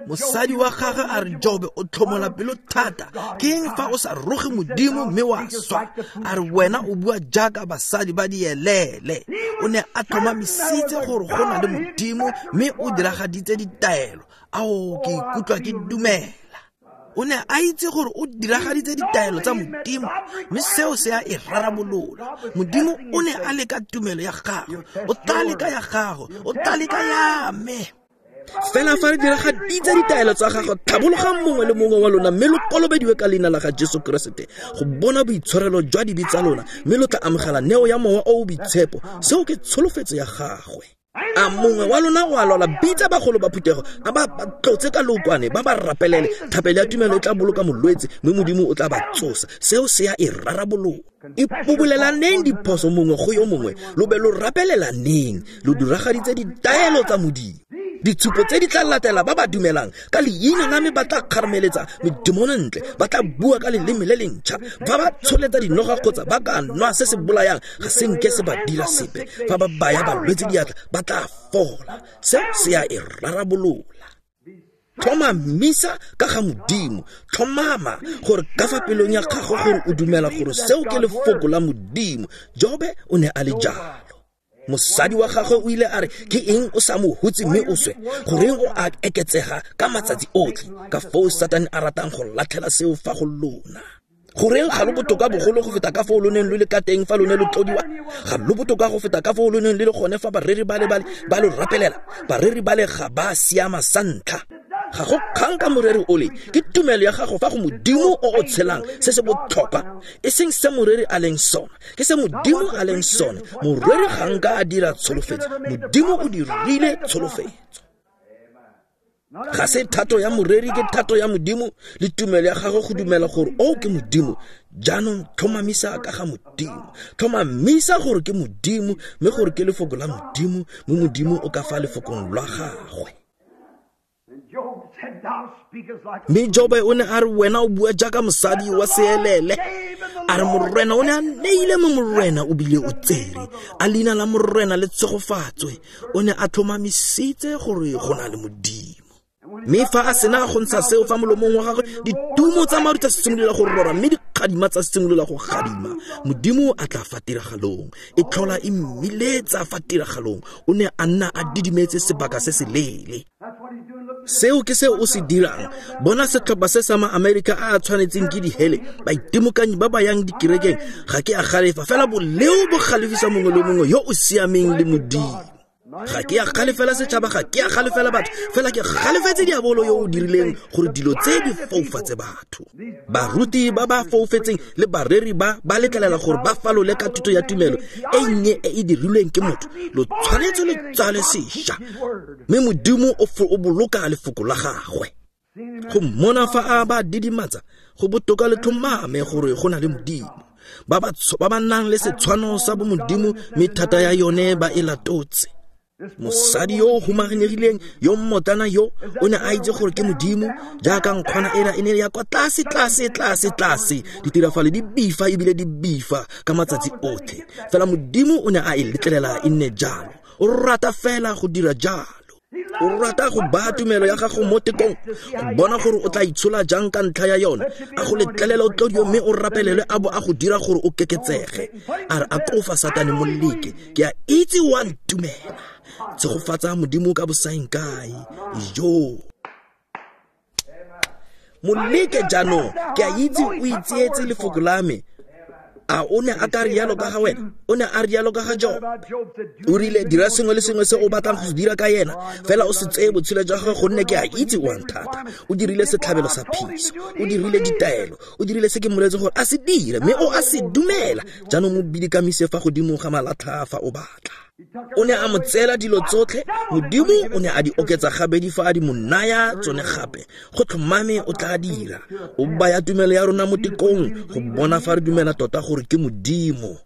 Mosadi wa gagwe a re, Jobe o tlhomola pelo thata, ke eng fa o sa roge Modimo mme wa swa? A re wena o bua jaaka basadi ba dielele. O ne a tlhomamisitse gore go na le Modimo mme o diragaditse ditaelo. Ao, ke ikutlwa ke dumela. O ne a itse gore o diragaditse ditaelo tsa Modimo, mme seo se a e rarabolola. Modimo o ne a leka tumelo ya gagwe, o tla leka ya gago, o tla leka ya me. Fela fa re diragaditse ditaelo tsa gagwe, tlhabologang mongwe le mongwe wa lona mme lo kolobediwe ka leina la ga Jesu Keresete go bona boitshwarelo jwa dibe tsa lona, mme lo tla amogela neo ya Mowa o o Boitshepo. Seo ke tsholofetso ya gagwe. A mongwe wa lona o a lwala, bitsa bagolo ba phuthego, a ba ba tlotse ka lookwane, ba ba rapelele. Thapelo ya tumelo e tla boloka molwetse, mme Modimo o tla ba tsosa. Seo se ya e rarabolola. Ipobolelaneng diphoso mongwe go yo mongwe, lo be lo rapelelaneng, lo diragaditse ditaelo tsa Modimo. Ditshupo tse di tla latela ba ba dumelang ka leina la me ba tla kgarameletsa medemone ntle, ba tla bua ka leleme le lentšha, fa ba tsholetsa dinoga kgotsa ba ka nwa se se bolayang ga se nke se ba dira sepe, fa ba baya balwetse diatla ba tla fola. Seo se ya e rarabolola. Tlhomamisa ka ga Modimo, tlhomama gore ka fa pelong ya gago gore o dumela gore seo ke lefoko la Modimo. Jobe o ne a le jalo. Mosadi wa gagwe o ile a re, ke eng o sa mo hutse mme o swe? Goreng o a eketsega ka matsatsi otlhe? Ka foo Satane a ratang go latlhela seo fa go lona. Goreng ga lo botoka bogolo go feta ka foo lo neng lo le ka teng fa lo ne lo tlodiwa? Ga lo botoka go feta ka foo lo neng le le gone fa bareri ba le bale ba lo rapelela? Bareri ba le ga ba siama sa ntlha. Ga go kgang ka moreri ole, ke tumelo ya gago fa go Modimo o o tshelang se se botlhokwa, e seng se moreri a leng sone, ke se Modimo a leng sone. Moreri ga nka a dira tsholofetso, Modimo o dirile tsholofetso. Ga se thato ya moreri, ke thato ya Modimo le tumelo ya gagwe go dumela gore o ke Modimo. Jaanong tlhomamisa ka ga Modimo, tlhomamisa gore ke Modimo, mme gore ke lefoko la Modimo, mme Modimo o ka fa lefokong lwa gagwe. Mme Jobe o ne a re, wena o bua jaaka mosadi wa seelele. A re Morena o ne a neile mo Morena o bile o tsere, a leina la Morena le tshegofatswe. O ne a tlhomamisitse gore go na le Modimo. Mme fa a sena go ntsha seo fa molomong wa gagwe, ditumo tsa maru tsa simolola go rora, mme dikgadima tsa simolola go gadima. Modimo a tla fa tiragalong, e tlhola e mmiletsa fa tiragalong. O ne a nna a didimetse sebaka se se leele. Seo ke se o se dirang. Bona setlhopha se sa ma-Amerika a a tshwanetseng ke dihele, baitimokanyi ba ba yang dikerekeng. Ga ke a galefa, fela boleo bo galefisa mongwe le mongwe yo o siameng le Modimo. Ga ke a galefela setšhaba, ga ke a galefela batho, fela ke galefetse diabolo yo o dirileng gore dilo tse di foufatse batho. Baruti ba ba foufetseng le bareri ba ba letlelela gore ba falole ka thuto ya tumelo e nnye e e dirilweng ke motho. Lo tshwanetse lo tsale sešwa, mme Modimo o o boloka lefoko la gagwe. Go mmona fa a ba didimatsa, go botoka le tlhomame gore go na le Modimo. Ba ba ba ba nang le setshwano sa bo Modimo, mme thata ya yone ba e latotse. Mosadi yo o humanegileng yo mmotlana yo o ne a itse gore ke Modimo, jaaka nkgwana ena e ne ya kwa tlase tlase tlase tlase, ditirafalo di bifa ebile di bifa ka matsatsi otlhe. Fela Modimo o ne a e letlelela e nne jalo. O rata fela go dira jalo. O rata go baya tumelo ya gago mo tekong, go bona gore o tla itshola jang ka ntlha ya yone. A go letlelela o tlodiwe mme o rapelelwe, a bo a go dira gore o keketsege. A re a kofa Satane moleke, ke a itse wa ntumela. Tshegofatsa Modimo ka bosaeng kae. Jo moleke jaanong, ke a itse o itseetse lefoko la me. A o ne a ka rialo ka ga wena? O ne a rialo ka ga Job. O rile, dira sengwe le sengwe se o batlang go se dira ka yena, fela o se tseye botshelo jwa gagwe, gonne ke a itse o a nthata. O dirile setlhabelo sa phiso, o dirile ditaelo, o dirile se ke mmoletseng gore a se dire, mme o a se dumela. Jaanong mo bidikamise fa godimo ga malatlha fa o batla. O ne a mo tseela dilo tsotlhe, Modimo o ne a di oketsa gabedi fa a di mo naya tsone gape. Go tlhomame o tla dira. O baya tumelo ya rona mo tekong go bona fa re dumela tota gore ke Modimo.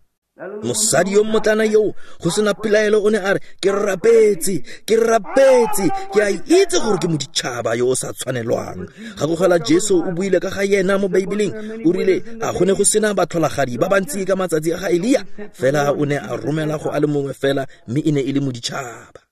Mosadi yo mmotlana yo go sena pelaelo o ne a re, ke rapetse, ke rapetse, ke a itse gore ke moditšhaba yo o sa tshwanelwang. Gakogela Jesu o buile ka ga yena mo Beibeleng, o rile a go ne go sena batlholagadi ba bantsi ka matsatsi a ga Elia, fela o ne a romela go a le mongwe fela, mme e ne e le moditšhaba.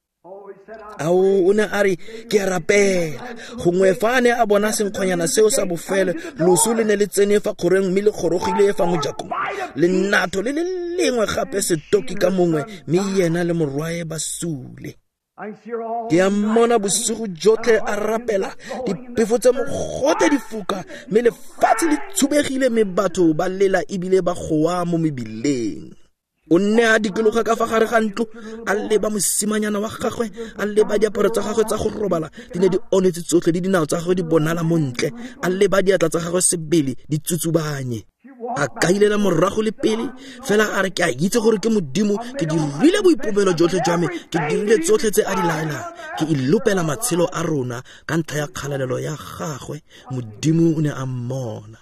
Ao, o ne a re, ke a rapela. Gongwe fa a ne a bona senkgwanyana seo sa bofelo, loso le ne le tsene fa kgoreng mme le gorogile fa mojakong. Lenatho le le lengwe gape setoki ka mongwe, mme yena le morwae ba sule. Ke a mmona bosigo jotlhe a rapela, diphefo tsa mogote di foka, mme lefatshe le tshubegile, mme batho ba lela ebile ba goa mo mebileng. O nne a dikologa ka fa gare ga ntlo, a leba mosimanyana wa gagwe, a leba diaparo tsa gagwe tsa go robala di ne di onetse tsotlhe le dinao tsa gagwe di bonala montle, a leba diatla tsa gagwe sebele di tsutsubanye. A kailela morago le pele fela a re ke a itse gore ke Modimo, ke dirile boipobelo jotlhe jwa me, ke dirile tsotlhe tse a di laelang, ke ilopela matshelo a rona ka ntlha ya kgalalelo ya gagwe. Modimo o ne a mmona.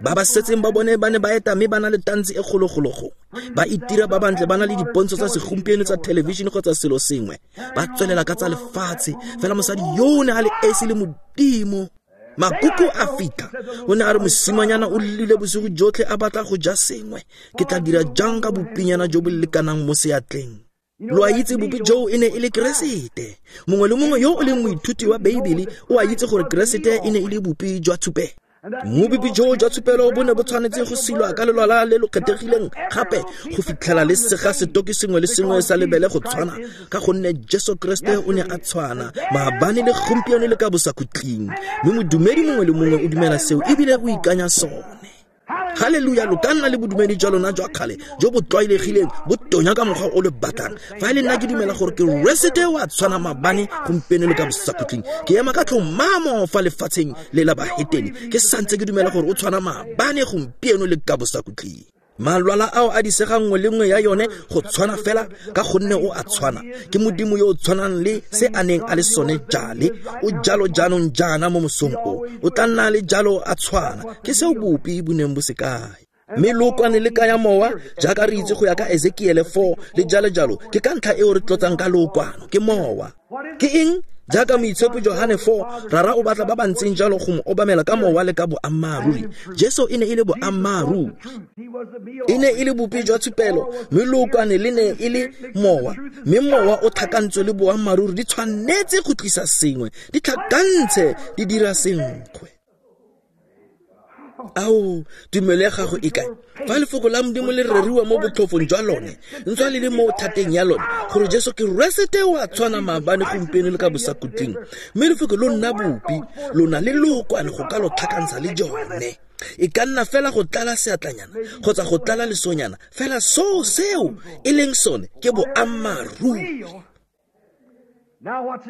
Ba ba setseng ba bone ba ne ba eta mme ba na le tantsi e kgologolo gongwe, ba itira ba bantle, ba na le dipontsho tsa segompieno tsa thelebišene kgotsa selo sengwe, ba tswelela ka tsa lefatshe. Fela mosadi yo o ne a le esi le Modimo. Makuku a fitlha, o ne a re mosimanyana o llile bosigo jotlhe a batla go ja sengwe, ke tla dira jang ka bopinyana jo bo lekanang mo seatleng? Lo a itse bopi joo e ne e le Keresete. Mongwe le mongwe yo o leng moithuti wa Beibele o a itse gore Keresete e ne e le bopi jwa tshupelo. Mobipi joo jwa tshupelo bo ne bo tshwanetse go silwa ka lelwala le lo kgethegileng gape go fitlhela le sega setoki sengwe le sengwe sa lebele go tshwana, ka gonne Jesu Kriste o ne a tshwana maabane le gompieno le ka bosakhutleng. Mme modumedi mongwe le mongwe o dumela seo ebile o ikanya sone. Haleluya! Lo ka nna le bodumedi jwa lona jwa kgale jo bo tlwaelegileng bo tonya ka mokgwa o le batlang. Fa e le nna ke dumela gore Keresete o a tshwana maabane gompieno le ka bosakhutleng, ke ema ka tlhomamo fa lefatsheng le la bahetene, ke santse ke dumela gore o tshwana maabane gompieno le ka bosakhutleng. Malwala ao a disega nngwe le nngwe ya yone go tshwana fela ka gonne o a tshwana. Ke Modimo yo o tshwanang le se a neng a le sone jale, o jalo jaanong jaana mo mosong o, o tla nna le jalo a tshwana. Ke seo bopi bo neng bo se kae. Mme lookwane le kaya mowa jaaka re itse go ya ka Ezekiele four le jalo jalo. Ke ka ntlha eo re tlotsang ka lookwano, ke mowa. Ke eng? Jaaka moitshepi Johane four, Rara o batla ba ba ntseng jalo go mo obamela ka mowa le ka boammaaruri. Jesu e ne e le boammaaruri, e ne e le bopi jwa tshupelo, mme lookwane le ne e le mowa, mme mowa o tlhakantswe le boammaaruri di tshwanetse go tlisa sengwe, di tlhakantshe di dira senkgwe. Ao, tumelo ya gago e kae? Fa lefoko la Modimo le reriwa mo botlhofong jwa lone, ntswa le le mo thateng ya lone, gore Jesu Keresete o a tshwana maabane gompieno le ka bosakhutleng, mme lefoko lo nna bopi, lona le lookwane go ka lo tlhakantsha le jone. E ka nna fela go tlala seatlanyana kgotsa go tlala lesonyana, fela seo seo e leng sone ke boammaaruri.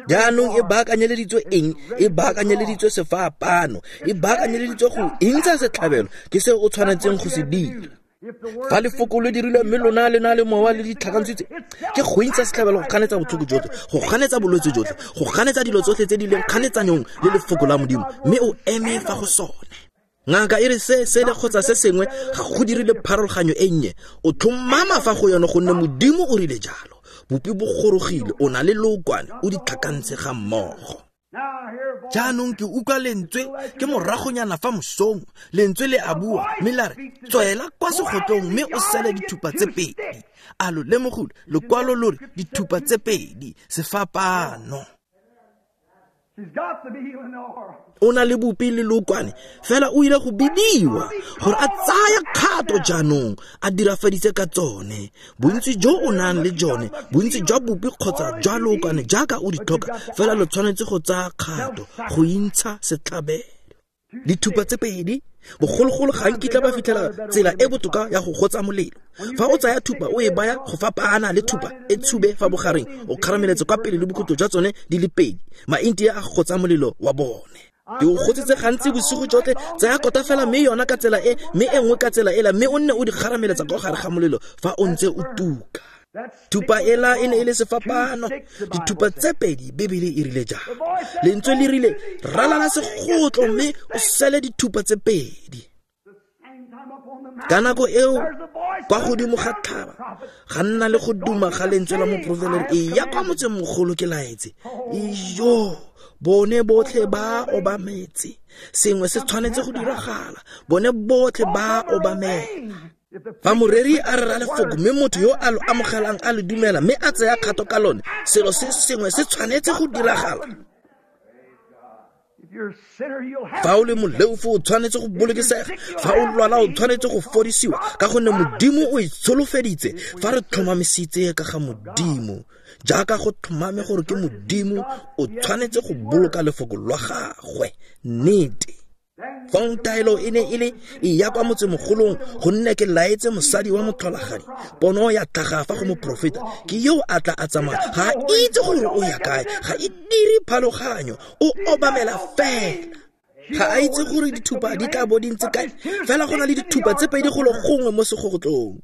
Jaanong e baakanyeleditswe eng? E baakanyeleditswe sefapano, e baakanyeleditswe go intsha setlhabelo. Ke seo o tshwanetseng go se dira. Fa lefoko le dirilwe mme lona le na le mowa le ditlhakantshitse, ke go intsha setlhabelo go ganetsa botlhoko jotlhe, go ganetsa bolwetse jotlhe, go ganetsa dilo tsotlhe tse di leng kganetsanyong le lefoko la Modimo, mme o eme fa go sone. Ngaka e re se sele kgotsa se sengwe ga go dirile pharologanyo e nnye, o tlhomama fa go yone gonne Modimo o rile jalo. Bopi bo gorogile, o na le lookwane, o di tlhakantshe ga mmogo. Jaanong ke utlwa lentswe ke moragonyana fa mosong, lentswe le a bua mme la re tswela kwa segotlong mme o sele dithupa tse pedi. A lo lemogile? Lokwalo lo re dithupa tse pedi, sefapano. O na le bopi le lookwane, fela o ile go bidiwa gore a tsaya kgato jaanong, a dirafaditse ka tsone. Bontsi jo o nang le jone, bontsi jwa bopi kgotsa jwa lookwane jaaka o di tlhoka, fela lo tshwanetse go tsaya kgato go intsha setlhabelo. Dithupa tse pedi, bogologolo ga nkitla ba fitlhela tsela e botoka ya go gotsa molelo. Fa o tsaya thupa o e baya go fapana le thupa e tshube fa bogareng, o kgarameletse kwa pele le bokhutlo jwa tsone di le pedi. Maintia a gotsa molelo wa bone. Ke o gotsitse gantsi bosigo jotlhe, tsaya kota fela mme yona ka tsela e, mme e nngwe ka tsela ela, mme o nne o di kgarameletsa kwa gare ga molelo fa o ntse o tuka. Thupa ela e ne e le sefapano, dithupa tse pedi, Bebele e rile jalo. Lentswe le rile ralala segotlo mme o sele dithupa tse pedi. Ka nako eo kwa godimo ga thaba ga nna le go duma ga lentswe la moprofeta, e ya kwa motsemogolo ke laetse. Iyo, bone botlhe ba obametse, sengwe se tshwanetse go diragala, bone botlhe ba obamela. Fa moreri a rera lefoko mme motho yo a lo amogelang a le dumela mme a tsaya kgato ka lone, selo se sengwe se tshwanetse go diragala. Fa o le moleofi o tshwanetse go bolokesega, fa o lwala o tshwanetse go fodisiwa, ka gonne Modimo o itsholofeditse. Fa re tlhomamisitse ka ga Modimo, jaaka go tlhomame gore ke Modimo, o tshwanetse go boloka lefoko lwa gagwe. Nnete. Fa Jaanong taelo e ne e le e ya kwa motsemogolong, gonne ke laetse mosadi wa motlholagadi. Pono ya tlhaga fa go moprofeta, ke yo a tla a tsamaya, ga a itse gore o ya kae, ga e dire phaloganyo, o obamela fela. Ga a itse gore dithupa di tla bo di ntse kae, fela go na le dithupa tse pedi golo gongwe mo segotlong.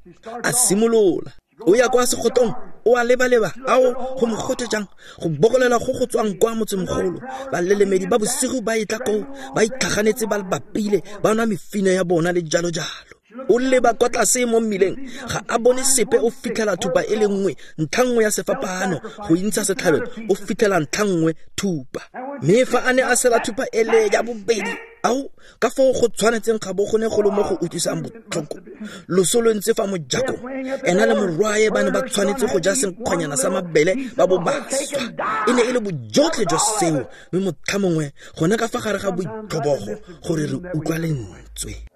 A simolola, o ya kwa segotong, o a leba-leba, ao go mogote jang, go bokolela go go tswang kwa motsemogolo. Balelemedi ba bosigo ba etla koo, ba itlhaganetse ba bapile, ba nwa mefine ya bona le jalo-jalo. O leba kwa tlase mo mmileng, ga a bone sepe, o fitlhela thupa e le nngwe, ntlha nngwe ya sefapano go intsha setlhabelo, o fitlhela ntlha nngwe thupa. Mme fa a ne a sela thupa ele ya bobedi, ao ka foo go tshwanetseng ga bo go ne go le mo go utlwisang botlhoko. Loso lo ntse fa mojakong, ena le morwae ba ne ba tshwanetse go ja senkgwanyana sa mabele ba bo ba swa. E ne e le bojotlhe jwa seo, mme motlha mongwe gone ka fa gare ga boitlhobogo gore re utlwa lentswe.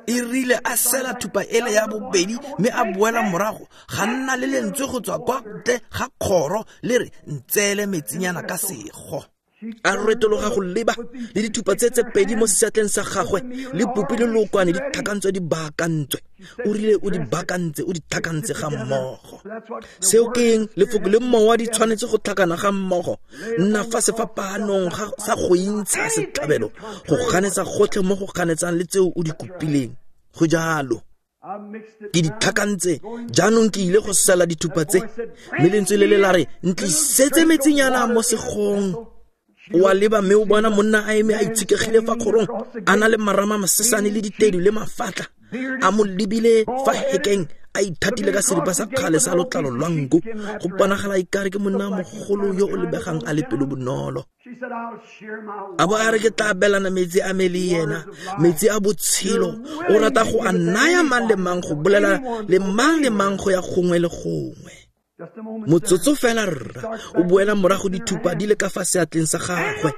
E rile a sela thupa ele ya bobedi mme a boela morago, ga nna le lentswe go tswa kwa ntle ga kgoro le re, ntseele metsinyana ka sego. A retologa go leba le dithupa tse tse pedi mo seatleng sa gagwe, le popi le lookwane di tlhakantswe di baakantswe. O rile o di baakantse, o di tlhakantse ga mmogo. Seo ke eng? Lefoko le mowa di tshwanetse go tlhakana ga mmogo. Nna fa sefapanong sa go intsha setlhabelo, go ganetsa gotlhe mo go ganetsang le tseo o di kopileng. Go jalo. Ke di tlhakantse, jaanong ke ile go sela dithupa tse. Mme lentswe le le la re, ntlisetse metsinyana mo segong. O a leba mme o bona monna a eme a itshekegile fa kgorong, a na le marama masesane le ditedu le mafatla, a mo lebile fa hekeng, a ithatile ka seripa sa kgale sa lotlalo lwa nku. Go bonagala ekare ke monna mogolo yo o lebegang a le pelo bonolo. A bo a re, ke tla abelana metsi a me le yena, metsi a botshelo. O rata go a naya mang le mang, go bolela le mang le mang go ya gongwe le gongwe. Motsotso fela rra, o boela morago dithupa di le ka fa seatleng sa gagwe,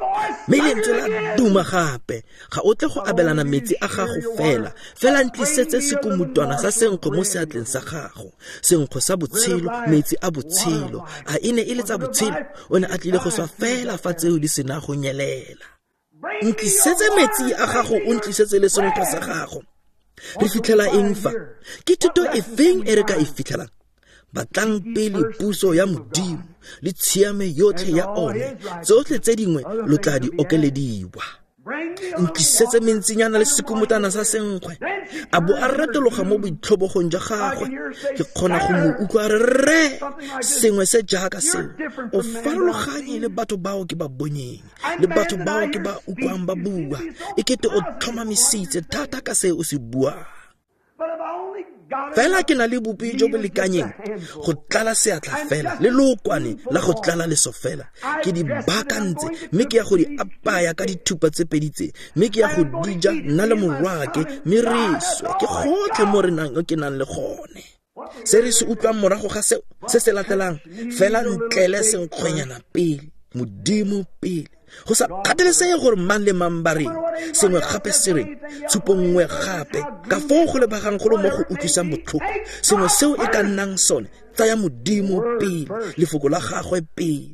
mme lentswe la duma gape. Ga o tle go abelana metsi a gago fela, fela ntlisetse sekomutwana sa senkgwe mo seatleng sa gago, senkgwe sa botshelo, metsi a botshelo. A e ne e le tsa botshelo? O ne a tlile go swa fela fa tseo di sena go nyelela. Ntlisetse metsi a gago, o ntlisetse le senkgwe sa gago. Re fitlhela eng fa? Ke thuto e feng e re ka e fitlhelang? Batlang pele puso ya Modimo le tshiame yotlhe ya one, tsotlhe tse dingwe lo tla di okelediwa. Ntlisetse mentsinyana le sekomotana sa senkgwe. A bo a retologa mo boitlhobogong jwa gagwe. Ke kgona go mo utlwa re, rre, sengwe se jaaka seo. O farologanye le batho bao ke ba bonyeng, le batho bao ke ba utlwang ba bua. E kete o tlhomamisitse thata ka se o se buang. Fela ke na le bopi jo bo lekanyeng go tlala seatla fela, le lookwane la go tlala leso fela. Ke di baakantse, mme ke ya go di apaya ka dithupa tse pedi tse, mme ke ya go di ja nna le morwaake, mme re swe. Ke gotlhe mo re nang ke nang le gone. Se re se utlwang morago ga seo, se se latelang, fela ntlele senkgwenyana pele, Modimo pele. Go sa kgathalesege gore mang le mang ba reng, sengwe gape se reng, tshupo nngwe gape, ka foo go lebagang go le mo go utlwisang botlhoko, sengwe seo e ka nnang sone, tsaya Modimo pele, lefoko la gagwe pele.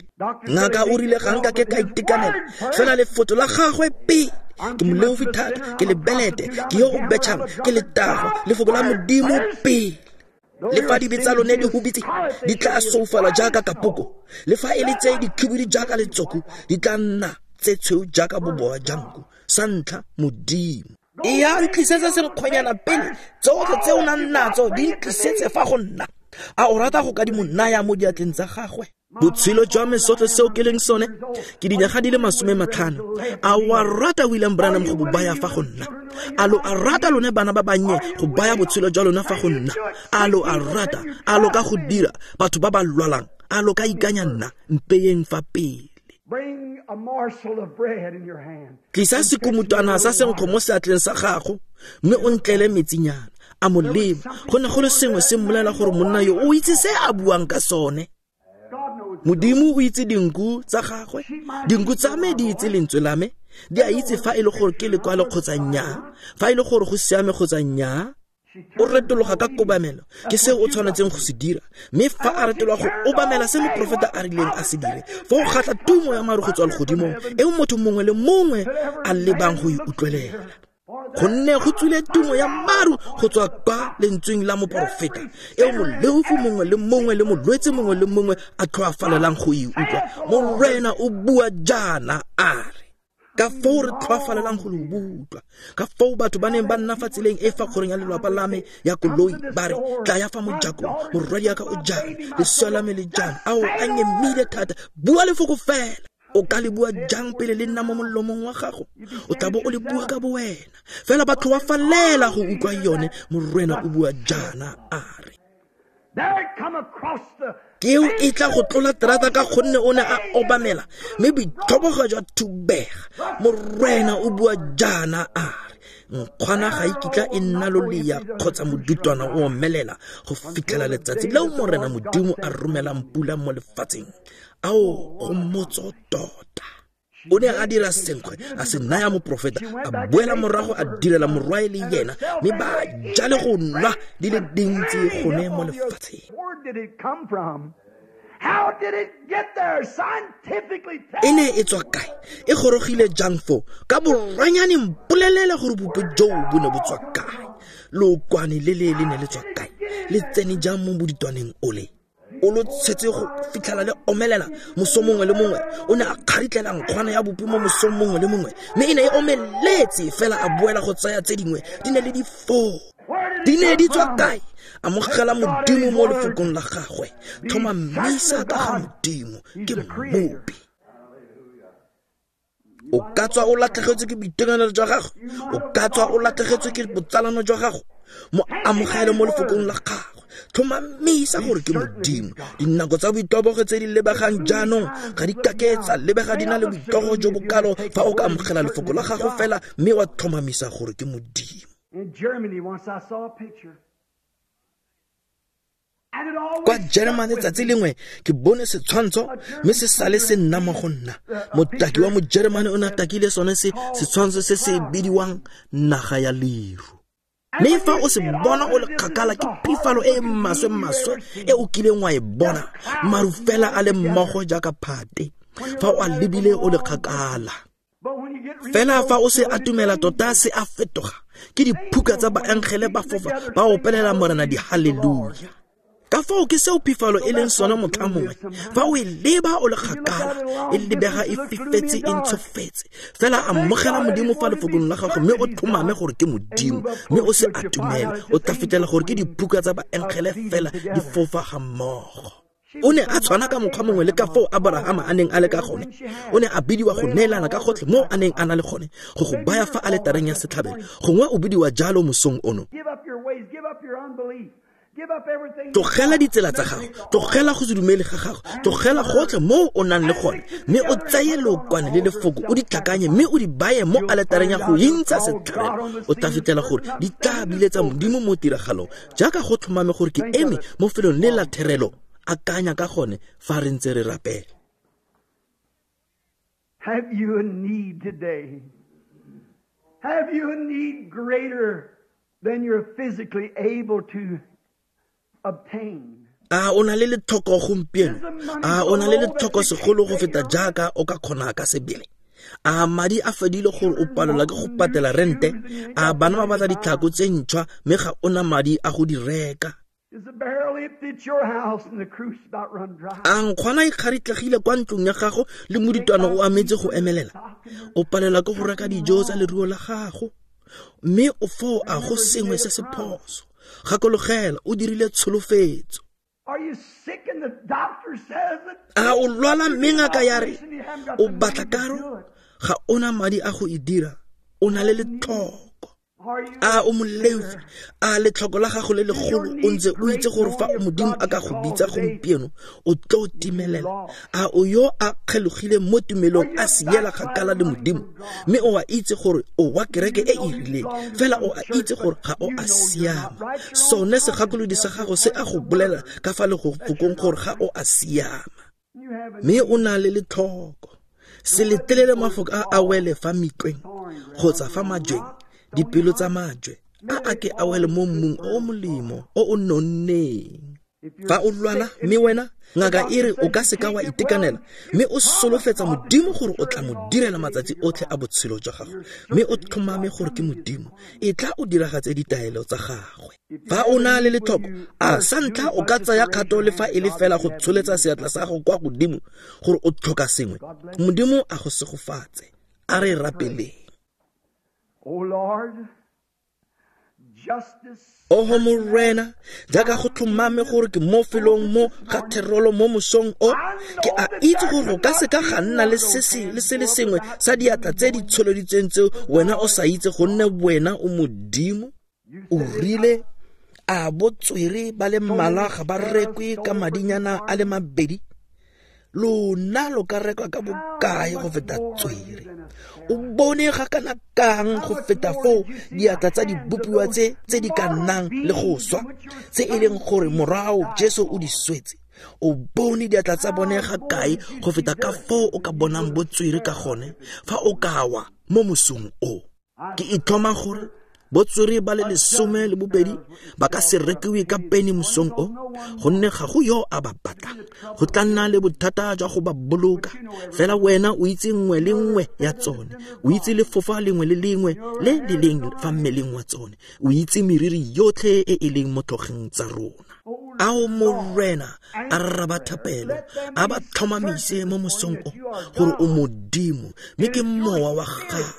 Ngaka o rile ga nka ke ka itekanela, fela lefoko la gagwe pele. Ke moleofi thata, ke lebelete, ke yo o betšhang, ke letago, lefoko la Modimo pele. Le fa dibe tsa lone di hubitse, di tla soufala jaaka kapoko. Le fa e le tse dikhibidu jaaka letsoku, di tla nna tse tshweu jaaka boboa jwa nku. Sa ntlha, Modimo. E ya ntlisetsa senkgwenyana pele, tsotlhe tse o nang natso di ntlisetse fa go nna. A o rata go ka di mo naya mo diatleng tsa gagwe? Botshelo jwa me, sotlhe seo ke leng sone, ke dinyaga di le masome matlhano. A o a rata William Branham go bo baya fa go nna? A lo a rata lone bana ba bannye go baya botshelo jwa lona fa go nna? A lo a rata? A lo ka go dira batho ba ba lwalang? A lo ka ikanya nna? Mpeyeng fa pele. Tlisa sekomutwana sa senkgwe mo seatleng sa gago, mme o ntlele metsinyana. A mo leba. Go ne go le sengwe se mmolela gore monna yo o itse se a buang ka sone. Modimo o itse dinku tsa gagwe, dinku tsa me di itse lentswe la me, di a itse fa e le gore ke lekwalo kgotsa nnyaa, fa e le gore go siame kgotsa nnyaa. O retologa ka kobamelo, ke se o tshwanetseng go se dira. Mme fa a retologa go obamela se moprofeta a rileng a se dire, fa o kgatlha tumo ya maru go tswa legodimong, eo motho mongwe le mongwe a lebang go e utlwelela. Gonne go tswile tumo ya maru go tswa kwa lentsweng la moporofeta, eo moleofi mongwe le mongwe le molwetse mongwe le mongwe a tlhoafalelang go e utlwa. Morena o bua jaana a re, ka foo re tlhoafalelang go le utlwa, ka foo batho ba neng ba nna fa tseleng e fa kgorong ya lelapa la me ya koloi ba re, tla ya fa mojakong, morwadiaka o jang, lesea la me le jang, ao a nyemile thata, bua lefoko fela. O ka le bua jang pele le nna mo molomong wa gago? O tla bo o le bua ka bowena. Fela ba tlhoafalela go utlwa yone. Morena o bua jaana a re. Keo e tla go tlola terata ka gonne o ne a obamela, mme boitlhobogo jwa thubega. Morena o bua jaana a re, nkgwana ga e kitla e nna lolea kgotsa modutwana o omelela go fitlhela letsatsi leo Morena Modimo a romelang pula mo lefatsheng. Ao go motso tota. O ne a dira senkgwe, a se naya moprofeta, a boela morago a direla morwae le yena, mme ba ja le go nwa di le dintsi gone mo lefatsheng. E ne e tswa kae? E gorogile jang foo? Ka boranyane mpolelele gore bope joo bo ne bo tswa kae? Lookwane le le le ne le tswa kae? Le tsene jang mo boditwaneng ole? O lo tshetse go fitlhela le omelela moso mongwe le mongwe. O ne a kgaritlela nkgwana ya bopi mo mosong mongwe le mongwe, mme e ne e omeletse fela a boela go tsaya tse dingwe. Di ne le di foo. Di ne di tswa kae? Amogela Modimo mo lefokong la gagwe. Tlhomamisa ka ga Modimo, ke mmopi. O ka tswa o latlhegetswe ke boitekanelo jwa gago, o ka tswa o latlhegetswe ke botsalano jwa gago, mo amogele mo lefokong la gagwe. Tlhomamisa gore ke Modimo. Dinako tsa boitobogo tse di lebegang jaanong ga di kake tsa lebega di na le boitogo jo bokalo fa o ka amogela lefoko la gago fela mme wa tlhomamisa gore ke Modimo. Kwa Germany tsatsi lengwe ke bone setshwantsho mme se sale se nna mo go nna. Motaki wa mo-Germany o ne a takile sone se setshwantsho se se bidiwang naga ya leru. Mme fa o se bona o le kgakala ke phifalo e e maswe-maswe e o kileng wa e bona, maru fela a le mmogo jaaka phate fa o a lebile o le kgakala. Fela fa o se atumela tota se a fetoga, ke diphuka tsa baangele ba fofa ba opelela Morena di-haleluya. Ka foo ke seo phifalo e leng sone motlha mongwe. Fa o e leba o le kgakala, e lebega e fifetse e ntshofetse. Fela amogela Modimo fa lefokong la gago mme o tlhomame gore ke Modimo, mme o se atumele, o tla fetela gore ke diphuka tsa baangele fela di fofa ga mmogo. O ne a tshwana ka mokgwa mongwe le ka foo Abrahama a neng a le ka gone. O ne a bidiwa go neelana ka gotlhe mo a neng a na le gone, go go baya fa aletareng ya setlhabelo. Gongwe o bidiwa jalo mosong ono. Tlogela ditsela tsa gago, tlogela go se dumele ga gago, tlogela gotlhe mo o nang le gone, mme o tseye lookwane le lefoko o di tlhakanye mme o di baye mo aletareng ya go intsha setlhabelo. O tla fitlhela gore di tla biletsa Modimo mo tiragalong, jaaka go tlhomame gore ke eme mo felong le la therelo. Akanya ka gone fa re ntse re rapela. Have you a need today? Have you a need greater than you're physically able to obtain? A o na le letlhoko gompieno? A o na le letlhoko segolo go feta jaaka o ka kgona ka sebele? A madi a fedile gore o palelwa ke go patela rente? A bana ba batla ditlhako tse ntšhwa mme ga o na madi a go di reka? A nkgwana e kgaritlegile kwa ntlong ya gago le moditwana o ametse go emelela? O palelwa ke go reka dijo tsa leruo la gago, mme o foo a go sengwe se se phoso. Gakologela, o dirile tsholofetso. A o lwala mme ngaka ya re o batla karo, ga o na madi a go e dira, o na le letlhoko. A o moleofi, a letlhoko la gago le legolo o ntse o itse gore fa Modimo a ka go bitsa gompieno o tlo timelela. A o yo a kgelogile mo tumelong a siela kgakala le Modimo, mme o a itse gore o wa kereke e e rileng, fela o a itse gore ga o a siama. Sone segakolodi sa gago se a go bolela ka fa lefokong gore ga o a siama, mme o na le letlhoko. Se letelele mafoko a a wele fa mitlweng kgotsa fa majweng, dipelo tsa majwe A a ke a wele mo mmung o o molemo o o nonneng. Fa o lwala mme wena ngaka e re o ka seka wa itekanela, mme o solofetsa Modimo gore o tla mo direla matsatsi otlhe a botshelo jwa gago, mme o tlhomame gore ke Modimo, e tla o diragatse ditaelo tsa gagwe. Fa o na le letlhoko, a sa ntlha o ka tsaya kgato le fa e le fela go tsholetsa seatla sa gago kwa godimo gore o tlhoka sengwe. Modimo a go segofatse. A re rapeleng. O Lord, justice. Oho Morena, jaaka go tlhomame gore ke mo felong mo ga therolo mo mosong o, ke a itse gore o ka seka ga nna le se se le se le sengwe sa diatla tse di tsholeditsweng tseo wena o sa itse, gonne wena o Modimo. O rile a botswere ba le mmalwa ga ba rekwe ka madinyana a le mabedi, lona lo ka rekwa ka bokae go feta tswere? O bone ga kana kang go feta foo diatla tsa dibopiwa tse tse di ka nnang le go swa, tse e leng gore morao Jesu o di swetse. O bone diatla tsa bone ga kae go feta ka foo o ka bonang botswere ka gone fa o ka wa mo mosong o. Ke itlhoma gore botswere ba le lesome le bobedi ba ka se rekiwe ka peni mosong o, gonne ga go yo a ba batlang. Go tla nna le bothata jwa go ba boloka, fela wena o itse nngwe le nngwe ya tsone, o itse lefofa lengwe le lengwe le le leng fa mmeleng wa tsone, o itse meriri yotlhe e e leng mo tlhogeng tsa rona. Ao Morena, a rraba thapelo, a ba tlhomamise mo mosong o gore o Modimo, mme ke mowa wa gago.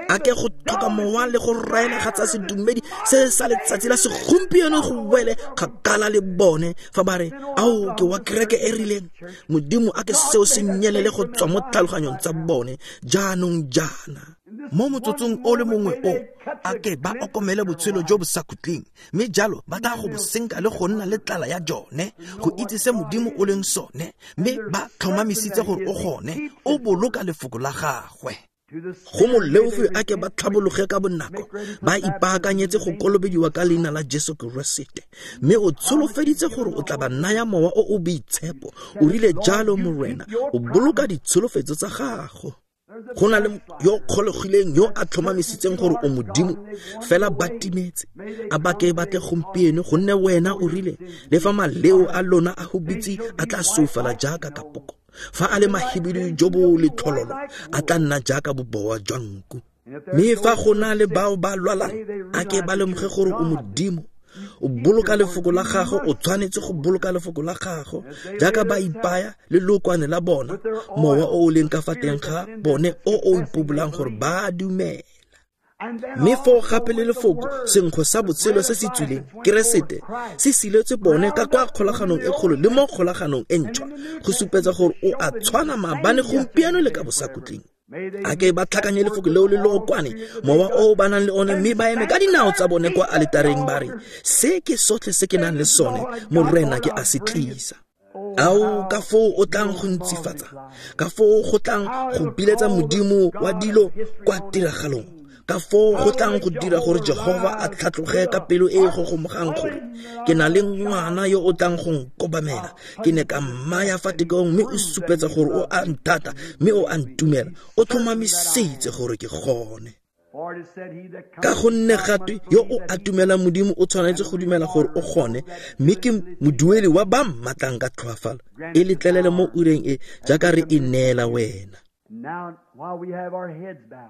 A ke go tlhoka mowa le go raela ga tsa sedumedi se sa letsatsi la segompieno go wele kgakala le bone fa ba re, ao ke wa kereke e rileng. Modimo a ke seo se nyelele go tswa mo tlhaloganyong tsa bone jaanong jaana. Mo motsotsong o le mongwe o, a ke ba okomele botshelo jo bo sa khutleng, mme jalo ba tla go bo senka le go nna le tlala ya jone, go itse se Modimo o leng sone, mme ba tlhomamisitse gore o gone, o boloka lefoko la gagwe. Go moleofi a ke ba tlhabologe ka bonako, ba ipaakanyetse go kolobediwa ka leina la Jesu Keresete, mme o tsholofeditse gore o tla ba naya mowa o o boitshepo. O rile jalo Morena, o boloka ditsholofetso tsa gago. Go na le yo kgolegileng yo a tlhomamisitseng gore o Modimo, fela ba timetse. A ba ke ba tle gompieno, gonne wena o rile le fa maleo a lona a hubitse a tla soufala jaaka kapoko, fa a le mahibidu jo bo letlhololo a tla nna jaaka bobowa jwa nku. Mme fa go na le bao ba lwalang, a ke ba lemoge gore o Modimo, o boloka lefoko la gago, o tshwanetse go boloka lefoko la gago, jaaka ba ipaya le lokwane la bona, mowa o o leng ka fa teng ga bone o o ipobolang gore ba dumela. Mme foo gape le lefoko, senkgwe sa botshelo se se tswileng, Keresete, se siletswe bone ka kwa kgolaganong e kgolo le mo kgolaganong e ntšhwa, go supetsa gore o a tshwana maabane, gompieno le ka bosakhutleng. A ke ba tlhakanye lefoko leo le lookwane, mowa o ba nang le one, mme ba eme ka dinao tsa bone kwa aletareng ba re, se ke sotlhe se ke nang le sone, Morena ke a se tlisa. Ao ka foo o tlang go ntsifatsa, ka foo go tlang go biletsa Modimo wa dilo kwa tiragalong, ka foo go tlang go dira gore Jehova a tlhatloge ka pelo e e gogomogang gore ke na le ngwana yo o tlang go nkobamela, ke ne ka mmaya fa tekong, mme o supetsa gore o a nthata, mme o a ntumela, o tlhomamisitse gore ke gone. Ka gonne gatwe yo o atumelang Modimo o tshwanetse go dumela gore o gone, mme ke modueli wa ba mmatlang ka tlhoafalo. E letlelele mo ureng e jaaka re e neela wena.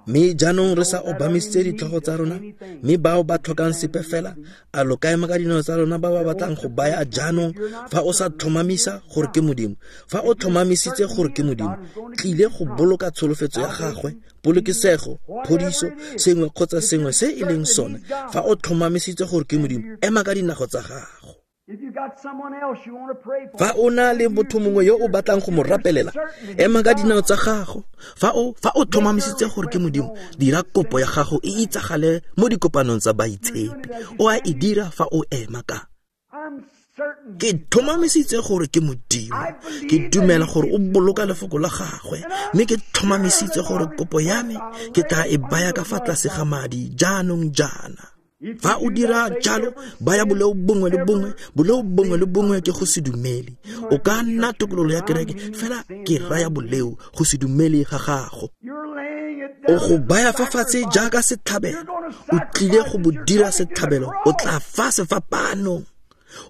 Mme jaanong re sa obamisitse ditlhogo tsa rona, mme bao ba tlhokang sepe fela, a lo ka ema ka dinao tsa lona ba ba batlang go baya jaanong. Fa o sa tlhomamisa gore ke Modimo, fa o tlhomamisitse gore ke Modimo, tlile go boloka tsholofetso ya gagwe, polokesego, phodiso, sengwe kgotsa sengwe se e leng sone. Fa o tlhomamisitse gore ke Modimo, ema ka dinago tsa gago. Fa o na le motho mongwe yo o batlang go mo rapelela, ema ka dinao tsa gago. Fa o fa o tlhomamisitse gore ke Modimo, dira kopo ya gago e itsagale mo dikopanong tsa baitshepi. O a e dira fa o ema ka. Ke tlhomamisitse gore ke Modimo, ke dumela gore o boloka lefoko la gagwe, mme ke tlhomamisitse gore kopo ya me ke tla e baya ka fa tlase ga madi jaanong jaana. Fa o dira jalo, baya boleo bongwe le bongwe, boleo bongwe le bongwe ke go se dumele. O ka nna tokololo ya kereke, fela ke raya boleo go se dumele ga gago. O go baya fa fatshe jaaka setlhabelo. O tlile go bo dira setlhabelo. O tla fa sefapanong.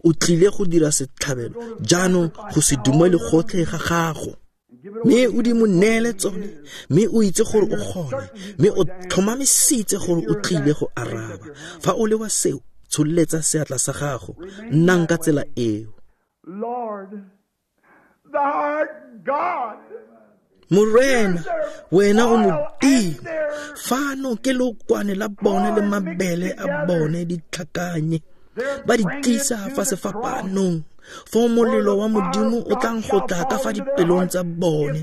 O tlile go dira setlhabelo jaanong go se dumele gotlhe ga gago. Mme o di mo neele tsone, mme o itse gore o gone, mme o tlhomamisitse gore o tlile go araba. Fa o le wa seo, tsholetsa seatla sa gago, nnang ka tsela eo. Morena, wena o Modimo, fano ke lokwane la bone le mabele a bone di tlhakanye, ba di tlisa fa sefapanong. Foo molelo wa Modimo o tlang go tla ka fa dipelong tsa bone,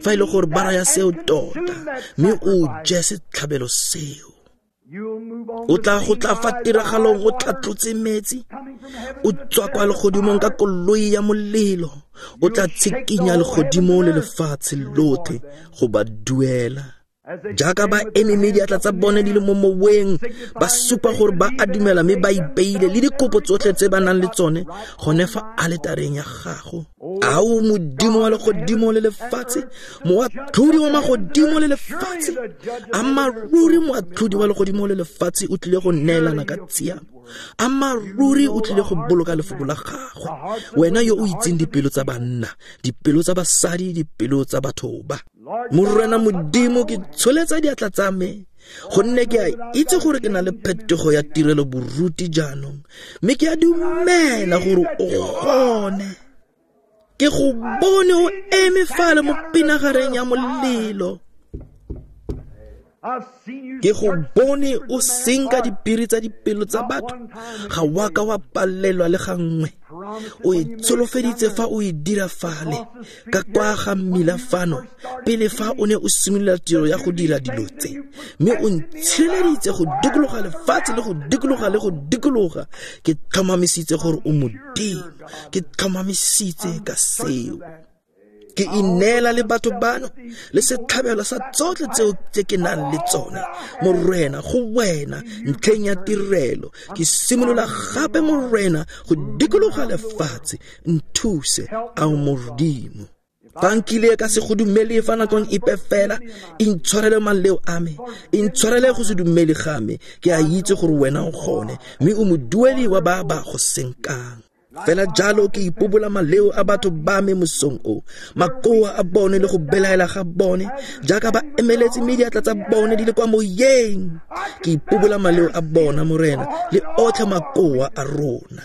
fa e le gore ba raya seo tota, mme o je setlhabelo seo. O tla go tla fa tiragalong o tlhatlotse metsi, o tswa kwa legodimong ka koloi ya molelo, o tla tshikinya legodimo le lefatshe lotlhe go ba duela. Jaaka ba eme mme diatla tsa bone di le mo moweng, ba supa gore ba a dumela mme ba ipeile le dikopo tsotlhe tse ba nang le tsone gone fa aletareng ya gago. Ao Modimo wa legodimo le lefatshe, moatlhodi wa magodimo le lefatshe, amaruri moatlhodi wa legodimo le lefatshe o tlile go neelana ka tshiamo. Amaruri o tlile go boloka lefoko la gagwe. Wena yo o itseng dipelo tsa banna, dipelo tsa basadi, dipelo tsa batho ba. Morena Modimo, ke tsholetsa diatla tsa me, gonne ke a itse gore ke na le phetogo ya tirelo boruti jaanong, mme ke a dumela gore o gone. Ke go bone o eme fale mo pinagareng ya molelo. Ke go bone o senka dipiri tsa dipelo tsa batho, ga wa ka wa palelwa le gangwe. O e tsholofeditse fa o e dira fale ka kwa ga mmila fano, pele fa o ne o simolola tiro ya go dira dilo tse, mme o ntshireleditse go dikologa lefatshe le go dikologa le go dikologa. Ke tlhomamisitse gore o Modimo, ke tlhomamisitse ka seo. Ke ineela le batho bano le setlhabelo sa tsotlhe tseo tse ke nang le tsone, Morena, go wena ntlheng ya tirelo. Ke simolola gape, Morena, go dikologa lefatshe. Nthuse, ao Modimo. Fa nkile ka se go dumele fa nakong epe fela, intshwarele maleo a me, intshwarele go se dumele ga me. Ke a itse gore wena o gone, mme o modueli wa ba ba go senkang. Fela jalo ke ipobola maleo a batho ba me mosong o, makoa a bone le go belaela ga bone, jaaka ba emeletse mme diatla tsa bone di le kwa moyeng. Ke ipobola maleo a bona, Morena, le otlhe makoa a rona.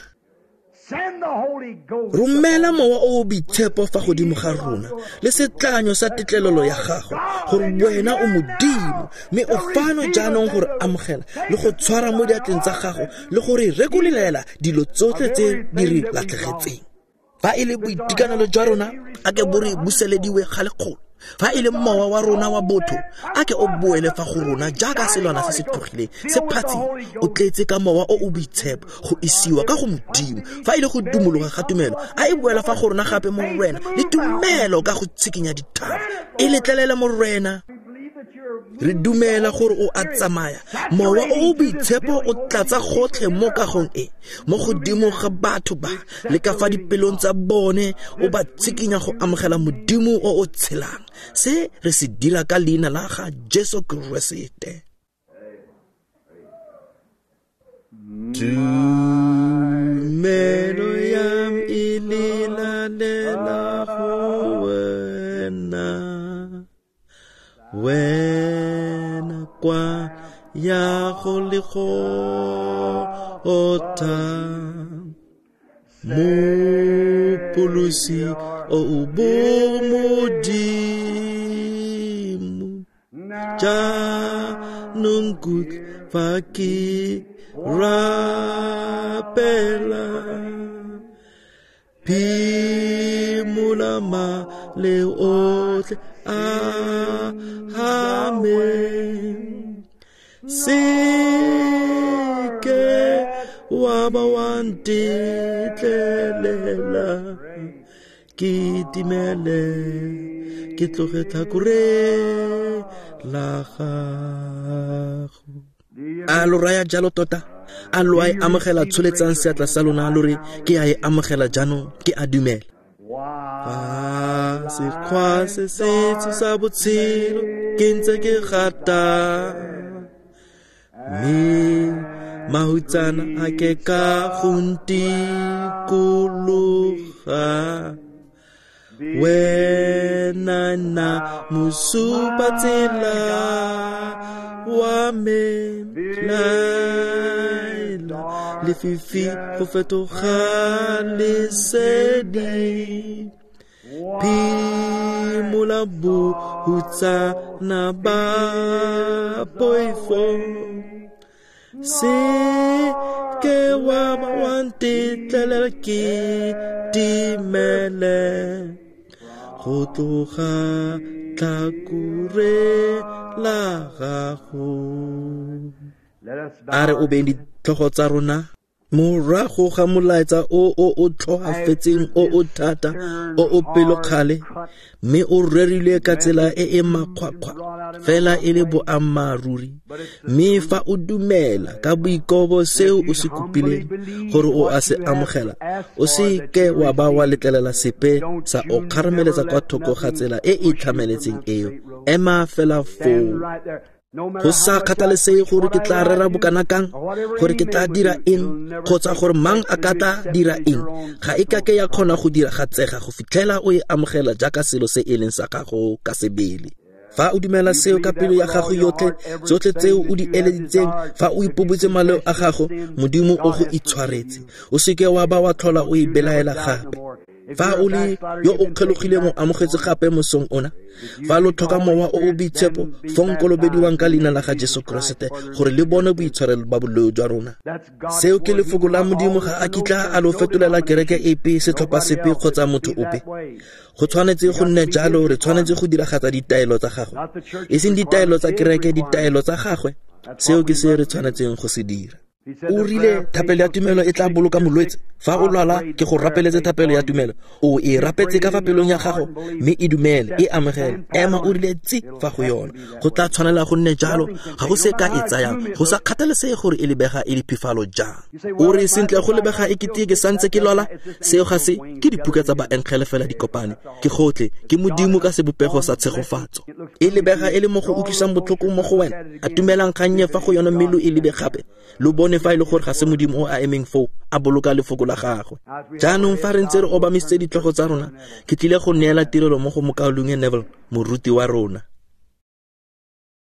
Romela mowa o o boitshepo fa godimo ga rona le setlanyo sa tetlelelo ya gago, gore wena o Modimo, mme o fano jaanong gore amogela le go tshwara mo diatleng tsa gago le gore rekolelela dilo tsotlhe tse di re latlhegetseng. Fa e le boitekanelo jwa rona, a ke bo re buselediwe ga lekgolo. Fa e le mowa wa rona wa botho, a ke o boele fa go rona jaaka selwana se se tlogileng se phatsima, o tletse ka mowa o o boitshepo go isiwa ka go Modimo. Fa e le go dumologa ga tumelo, a e boela fa go rona gape, Morena, le tumelo ka go tshikinya dithaba. E letlelele, Morena. Re dumela gore o a tsamaya. Mowa o o boitshepo o tlatsa gotlhe mo kagong e, mo godimo ga batho ba le ka fa dipelong tsa bone, o ba tshikinya go amogela Modimo o o tshelang. Se re se dira ka leina la ga Jesu Keresete. Tumelo ya me e lelela go wena, wena kwa ya go le go ota, Mopholosi o bo Modimo, jaanong kutlwa fa ke rapela, phimola maleo otlhe a me, se ke wa ba wa ntetlelela ke timele, ke tloge tlhakore la gago. A lo raya jalo tota? A lo a e amogela? Tsholetsang seatla sa lona lo re, ke a e amogela jaanong, ke a dumela. Fa sekgwa se setsho sa botshelo ke ntse ke gata, mme mahutsana a ke ka go ntikologa. Wena nna mosupatsela wa me, laela lefifi go fetoga lesedi, phimola bohutsana ba poifo. Se ke wa ba wa ntetlelela ke timele, go tloga tlhakore la gago. A re obeng ditlhogo tsa rona morago ga molaetsa o o o tlhoafetseng, o o thata, o o pelokgale, mme o rerilwe ka tsela e e makgwakgwa, fela e le boammaaruri. Mme fa o dumela ka boikobo seo o se kopileng gore o a se amogela, o se ke wa ba wa letlelela sepe sa o kgarameletsa kwa thoko ga tsela e e tlhameletseng eo. Ema fela foo. Go sa kgathalesege gore ke tla rera bokana kang, gore ke tla dira eng, kgotsa gore mang a ka tla dira eng, ga e kake ya kgona go diragatsega go fitlhela o e amogela jaaka selo se e leng sa gago ka sebele. Fa o dumela seo ka pelo ya gago yotlhe, tsotlhe tseo o di eleditseng, fa o ipobotse maleo a gago, Modimo o go itshwaretse. O seke wa ba wa tlhola o e belaela gape. Fa o le yo o kgelogileng, o amogetse gape mosong ona. Fa lo tlhoka mowa o o boitshepo, fong kolobediwang ka leina la ga Jesu Keresete gore le bone boitshwarelo ba boleo jwa rona. Seo ke lefoko la Modimo, ga a kitla a lo fetolela kereke epe, setlhopha sepe kgotsa motho ope. Go tshwanetse go nne jalo, re tshwanetse go diragatsa ditaelo tsa gagwe, e seng ditaelo tsa kereke, ditaelo tsa gagwe. Seo ke se re tshwanetseng go se dira. O rile thapelo ya tumelo e tla boloka molwetse. Fa o lwala, ke go rapeletse thapelo ya tumelo. O e rapetse ka fa pelong ya gago, mme e dumele, e amogele. Ema o rile tsi fa go yona. Go tla tshwanela go nne jalo, ga go se ka e tsayang, go sa kgathalesege gore e lebega e le phifalo jang. O re sentle go lebega e kete ke santse ke lwala, seo ga se ke dipuka tsa baengele fela di kopane. Ke gotlhe, ke Modimo ka sebopego sa tshegofatso. E lebega e le mo go utlwisang botlhoko mo go wena. A tumelang kgannye fa go yona mme lo e lebe gape. Lo bone fa e le gore ga se Modimo o a emeng foo, a boloka lefoko la gagwe. Jaanong fa re ntse re obamisitse ditlhogo tsa rona, ke tlile go neela tirelo mo go mokaulengwe Neville, moruti wa rona.